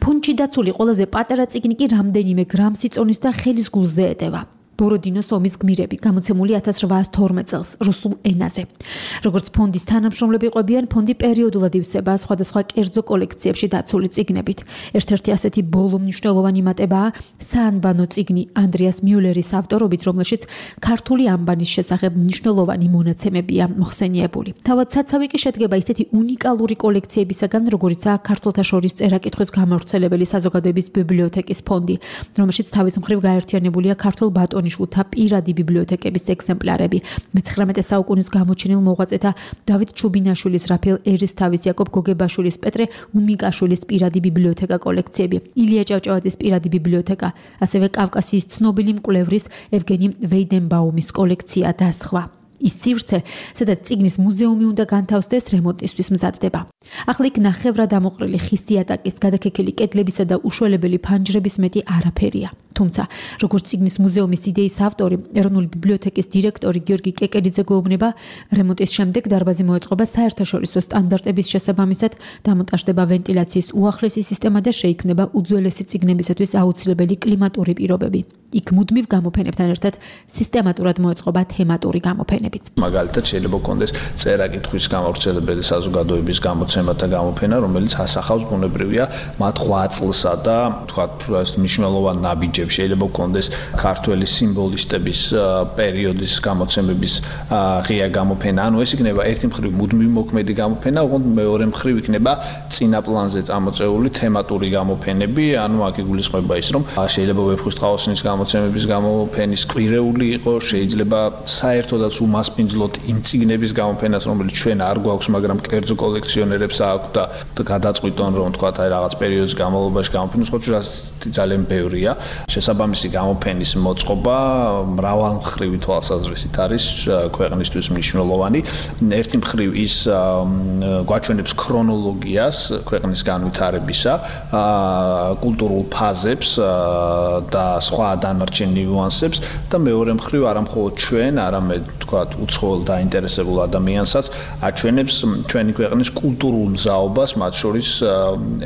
[SPEAKER 14] ფონდში დაცული ყველაზე პატარა წიგნი კი რამდენიმე გრამს იწონის და ხელის გულზე ეტევა. ბოროდინოს ომის გმირები, გამოცემული 1812 წელს რუსულ ენაზე. როგორც ფონდის თანამშრომლები ყვებიან, ფონდი პერიოდულად ივსება სხვადასხვა კერძო კოლექციებში დაცული წიგნებით. ერთ-ერთი ასეთი ბოლო მნიშვნელოვანი მატებაა საანბანო წიგნი ანდრიას მიულერის ავტორობით, რომელშიც ქართული ანბანის შესახებ მნიშვნელოვანი მონაცემებია მოხსენიებული. თავად საცავი კი შედგება ისეთი უნიკალური კოლექციებისაგან, როგორიცაა ქართველთა შორის წერა-კითხვის გამავრცელებელი საზოგადოების ბიბლიოთეკის ფონდი, რომელშიც თავის მხრივ გაერთიანებულია ქართულ ბატონიშვილთა პირადი ბიბლიოთეკების ეგზემპლარები, მე-19 საუკუნის გამოჩენილ მოღვაწეთა დავით ჩუბინაშვილის, რაფაელ ერისთავის, იაკობ გოგებაშვილის, პეტრე უმიკაშვილის პირადი ბიბლიოთეკა კოლექციები, ილია ჭავჭავაძის პირადი ბიბლიოთეკა, ასევე კავკასიის ცნობილი მკვლევრის ევგენი ვეიდენბაუმის კოლექცია და სხვა. ის სივრცე, სადაც წიგნის მუზეუმი უნდა განთავსდეს, რემონტისთვის მზადდება. ახლა იქ ნახევრად ამოყრილი ხის იატაკის, გადაქექილი კედლებისა და უშველებელი ფანჯრების მეტი არაფერია. თუმცა, როგორც წიგნის მუზეუმის იდეის ავტორი, ეროვნული ბიბლიოთეკის დირექტორი გიორგი კეკელიძე გვეუბნება, რემონტის შემდეგ დარბაზი მოეწყობა საერთაშორისო სტანდარტების შესაბამისად, დამონტაჟდება ვენტილაციის უახლესი სისტემა და შეიქმნება უძველესი წიგნებისათვის აუცილებელი კლიმატური პირობები. იქ მუდმივ გამოფენებთან ერთად სისტემატურად მოეწყობა თემატური გამოფენებიც.
[SPEAKER 16] მაგალითად, შეიძლება გქონდეს წერა-კითხვის გამავრცელებელი საზოგადოების გამოცემა და გამოფენა, რომელიც ასახავს ბუნებრივია მათ 8 წლსა და თქვათ მნიშვნელოვან ნაბიჯებს. შეიძლება გქონდეს ქართველი სიმბოლისტების პერიოდის გამოცემების ღია გამოფენა. ანუ ეს იქნება ერთი მხრივ მუდმივ მოქმედი გამოფენა, ოღონდ მეორე მხრივ იქნება წინა პლანზე წამოწეული თემატური გამოფენები. ანუ აქ იგულისხმება ის, რომ შეიძლება ვეფხისტყაოსნის გამოცემების გამოფენის კვირეული იყო, შეიძლება საერთოდაც უმასპინძლოთ იმ წიგნების გამოფენას, რომელიც ჩვენ არ გვაქვს, მაგრამ კერძო კოლექციონერებს აქვს და გადაწყვიტონ, რომ თქვათ აი რაღაც პერიოდის განმავლობაში გამოფენოს, ხო ძალიან ბევრია. შესაბამისი გამოფენის მოწყობა მრავალმხრივი თვალსაზრისით არის ქვეყნისთვის მნიშვნელოვანი. ერთი მხრივ ის გვაჩვენებს ქრონოლოგიას ქვეყნის განვითარებისა, კულტურულ ფაზებს და სხვა დანარჩენ ნიუანსებს და მეორე მხრივ არამხოლოდ ჩვენ, არამედ თქვათ უცხოელ დაინტერესებულ ადამიანსაც აჩვენებს ჩვენი ქვეყნის კულტურულ მზაობას, მათ შორის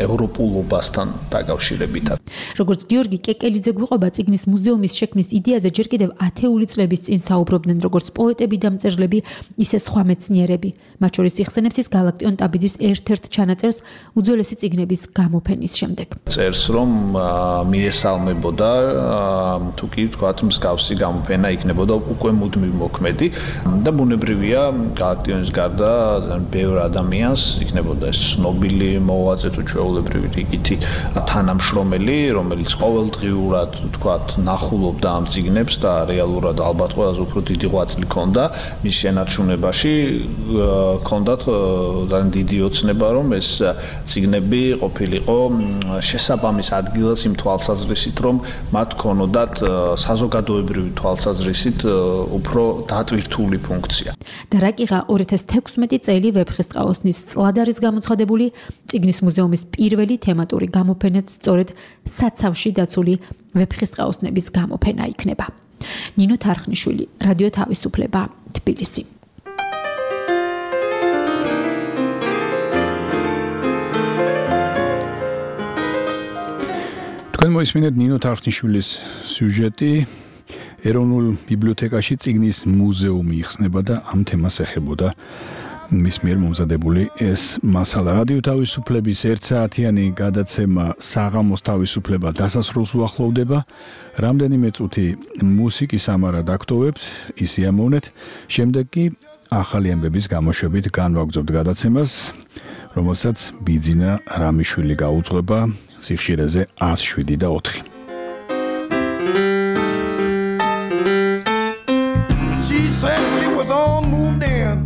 [SPEAKER 16] ევროპულობასთან დაკავშირებითად.
[SPEAKER 14] როგორც გიორგი კეკელიძე გვიყვება, წიგნის მუზეუმის შექმნის იდეაზე ჯერ კიდევ 10 წლების წინ საუბრობდნენ როგორც პოეტები და მწერლები, ისე სხვა მეცნიერები. მათ შორის იხსენებს ის გალაქტიონ ტაბიძის ერთ-ერთ ჩანაწერს უძველესი წიგნების გამოფენის შემდეგ.
[SPEAKER 16] წერს, რომ მიესალმებოდა თუ კი თქვათ მსგავსი გამოფენა იქნებოდა უკვე მუდმივ მოქმედი და ბუნებრივია გალაქტიონის გარდა ბევრ ადამიანს იქნებოდა ეს ცნობილი მოღვაწე თუ ჩვეულებრივი რიგითი თანამშრომელი, რომელიც ყოველდღიურად თქვათ ნახულობდა ამ წიგნებს და რეალურად ალბათ ყველაზე უფრო დიდი ღვაწლი ჰქონდა მის შენარჩუნებაში. ჰქონდათ ძალიან დიდი ოცნება, რომ ეს წიგნები ყოფილიყო შესაბამის ადგილას იმ თვალსაზრისით, რომ მათ ჰქონოდათ საზოგადოებრივი თვალსაზრისით უფრო დატვირთული ფუნქცია.
[SPEAKER 14] და რა კიღა 2016 წელი ვეფხისტყაოსნის წლად არის გამოცხადებული წიგნის მუზეუმის პირველი თემატური გამოფენაც სწორედ საცავში დაცული ვეფხისტყაოსნების გამოფენა იქნება. ნინო თარხნიშვილი, რადიო თავისუფლება, თბილისი.
[SPEAKER 2] თქვენ მოისმინეთ ნინო თარხნიშვილის სიუჟეტი. ეროვნულ ბიბლიოთეკაში წიგნის მუზეუმი იხსნება და ამ თემას ეხებოდა მის მიერ მომზადებული ეს მასალა. რადიო თავისუფლების 1 საათიანი გადაცემა საღამოს თავისუფლება დასასრულს უახლოვდება. რამდენიმე წუთი მუსიკის ამარა დაგტოვებთ, ისი ამოვნეთ. შემდეგ კი ახალი ამბების გამოშვებით განვაგრძობთ გადაცემას, რომელსაც ბიძინა რამიშვილი გაუძღვება სიხშირეზე 107.4.
[SPEAKER 17] She said she was all moved in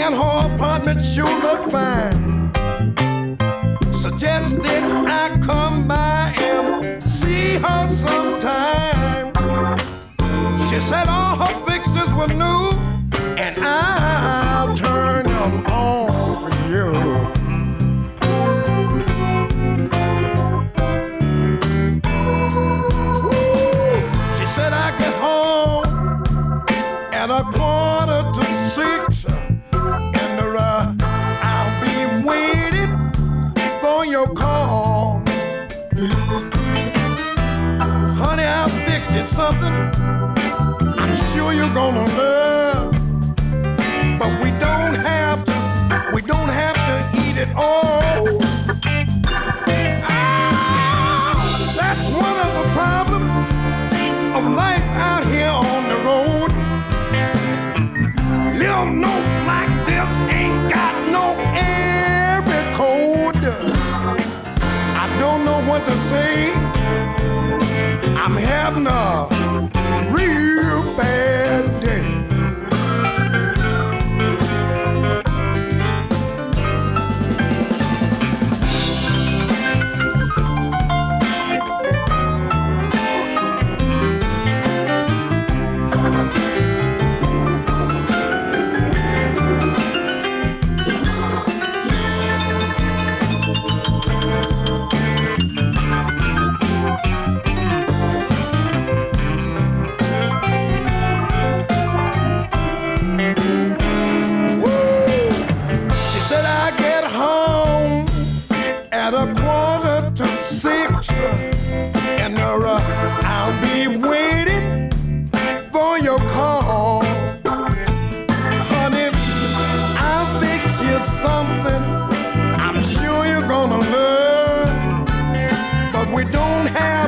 [SPEAKER 17] and her apartment sure looked fine. Suggested I come by and see her sometime. She said all her fixtures were new and I'll turn them on for you. She said I get home at 5:45 and I'll be waiting for your call. Honey, I'll fix you something I'm sure you're gonna love. But we don't have to eat it all. That's one of the problems of life out here on the road. Little notes like this ain't got no area code. I don't know what to say. I'm having a real bad day. we don't have